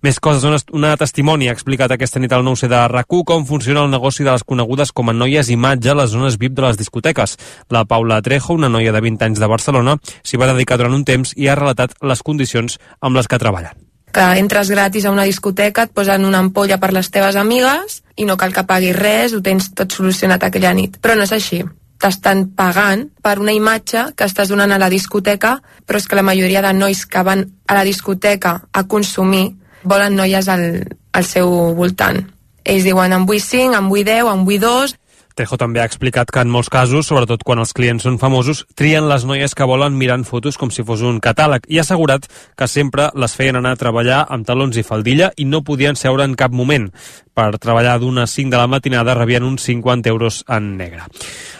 Més coses. Una testimoni ha explicat aquesta nit al nou C de RAC u com funciona el negoci de les conegudes com a noies imatge a les zones V I P de les discoteques. La Paula Trejo, una noia de vint anys de Barcelona, s'hi va dedicar durant un temps i ha relatat les condicions amb les que treballen. Que entres gratis a una discoteca, et posen una ampolla per les teves amigues i no cal que paguis res, ho tens tot solucionat aquella nit. Però no és així. T'estan pagant per una imatge que estàs donant a la discoteca, però és que la majoria de nois que van a la discoteca a consumir volen noies al, al seu voltant. Ells diuen en vull cinc, en vull deu, en vull dos... Trejo també ha explicat que en molts casos, sobretot quan els clients són famosos, trien les noies que volen mirant fotos com si fos un catàleg, i ha assegurat que sempre les feien anar a treballar amb talons i faldilla i no podien seure en cap moment. Per treballar d'unes cinc de la matinada rebien uns cinquanta euros en negre.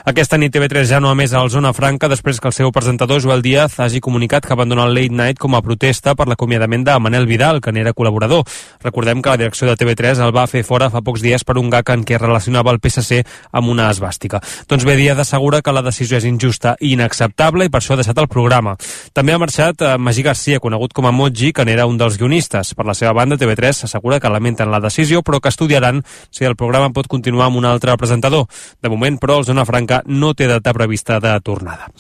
Aquesta nit T V tres ja no ha més al Zona Franca després que el seu presentador Joel Díaz hagi comunicat que abandona el Late Night com a protesta per l'acomiadament de Manel Vidal, que n'era col·laborador. Recordem que la direcció de T V tres el va fer fora fa pocs dies per un gag en què relacionava el P S C amb una esbàstica. Doncs bé, Díaz assegura que la decisió és injusta i inacceptable i per això ha deixat el programa. També ha marxat eh, Magí Garcia, conegut com a Moji, que n'era un dels guionistes. Per la seva banda, T V tres s'assegura que lamenten la decisió, però que estudiaran si el programa pot continuar amb un altre presentador. De moment, però, el Zona Franca Vilafranca no té data prevista de tornada.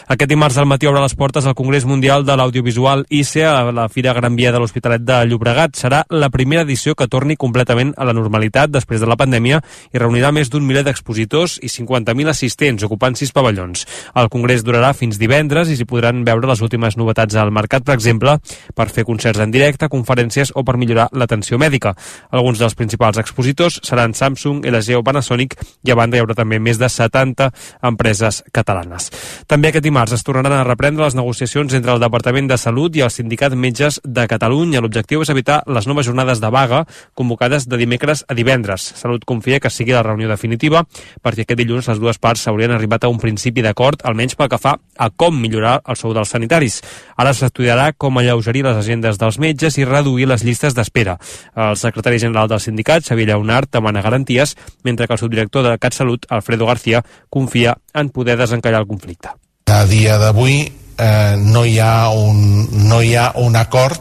Aquest dimarts al matí obre les portes al Congrés Mundial de l'Audiovisual I C E a la Fira Gran Via de l'Hospitalet de Llobregat. Serà la primera edició que torni completament a la normalitat després de la pandèmia i reunirà més d'un miler d'expositors i cinquanta mil assistents, ocupant sis pavellons. El congrés durarà fins divendres i s'hi podran veure les últimes novetats al mercat, per exemple, per fer concerts en directe, conferències o per millorar l'atenció mèdica. Alguns dels principals expositors seran Samsung, L G o Panasonic i a banda hi haurà també més de setanta empreses catalanes. També aquest dimarts es tornaran a reprendre les negociacions entre el Departament de Salut i el Sindicat Metges de Catalunya. L'objectiu és evitar les noves jornades de vaga convocades de dimecres a divendres. Salut confia que sigui la reunió definitiva perquè aquest dilluns les dues parts s'haurien arribat a un principi d'acord, almenys pel que fa a com millorar el sou dels sanitaris. Ara s'estudiarà com alleugerir les agendes dels metges i reduir les llistes d'espera. El secretari general del sindicat, Xavier Lleonart, demana garanties, mentre que el subdirector de CatSalut, Alfredo García, confia en poder desencallar el conflicte. A dia d'avui eh, no hi ha un, no hi ha un acord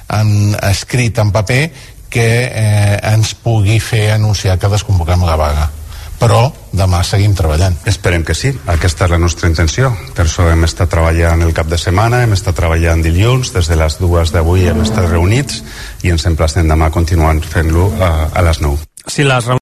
en, escrit en paper que eh, ens pugui fer anunciar que desconvoquem la vaga. Però demà seguim treballant. Esperem que sí, aquesta és la nostra intenció. Per això hem estat treballant el cap de setmana, hem estat treballant dilluns, des de les dues d'avui hem estat reunits i ens emplacem demà continuant fent-lo a, a les nou. Si les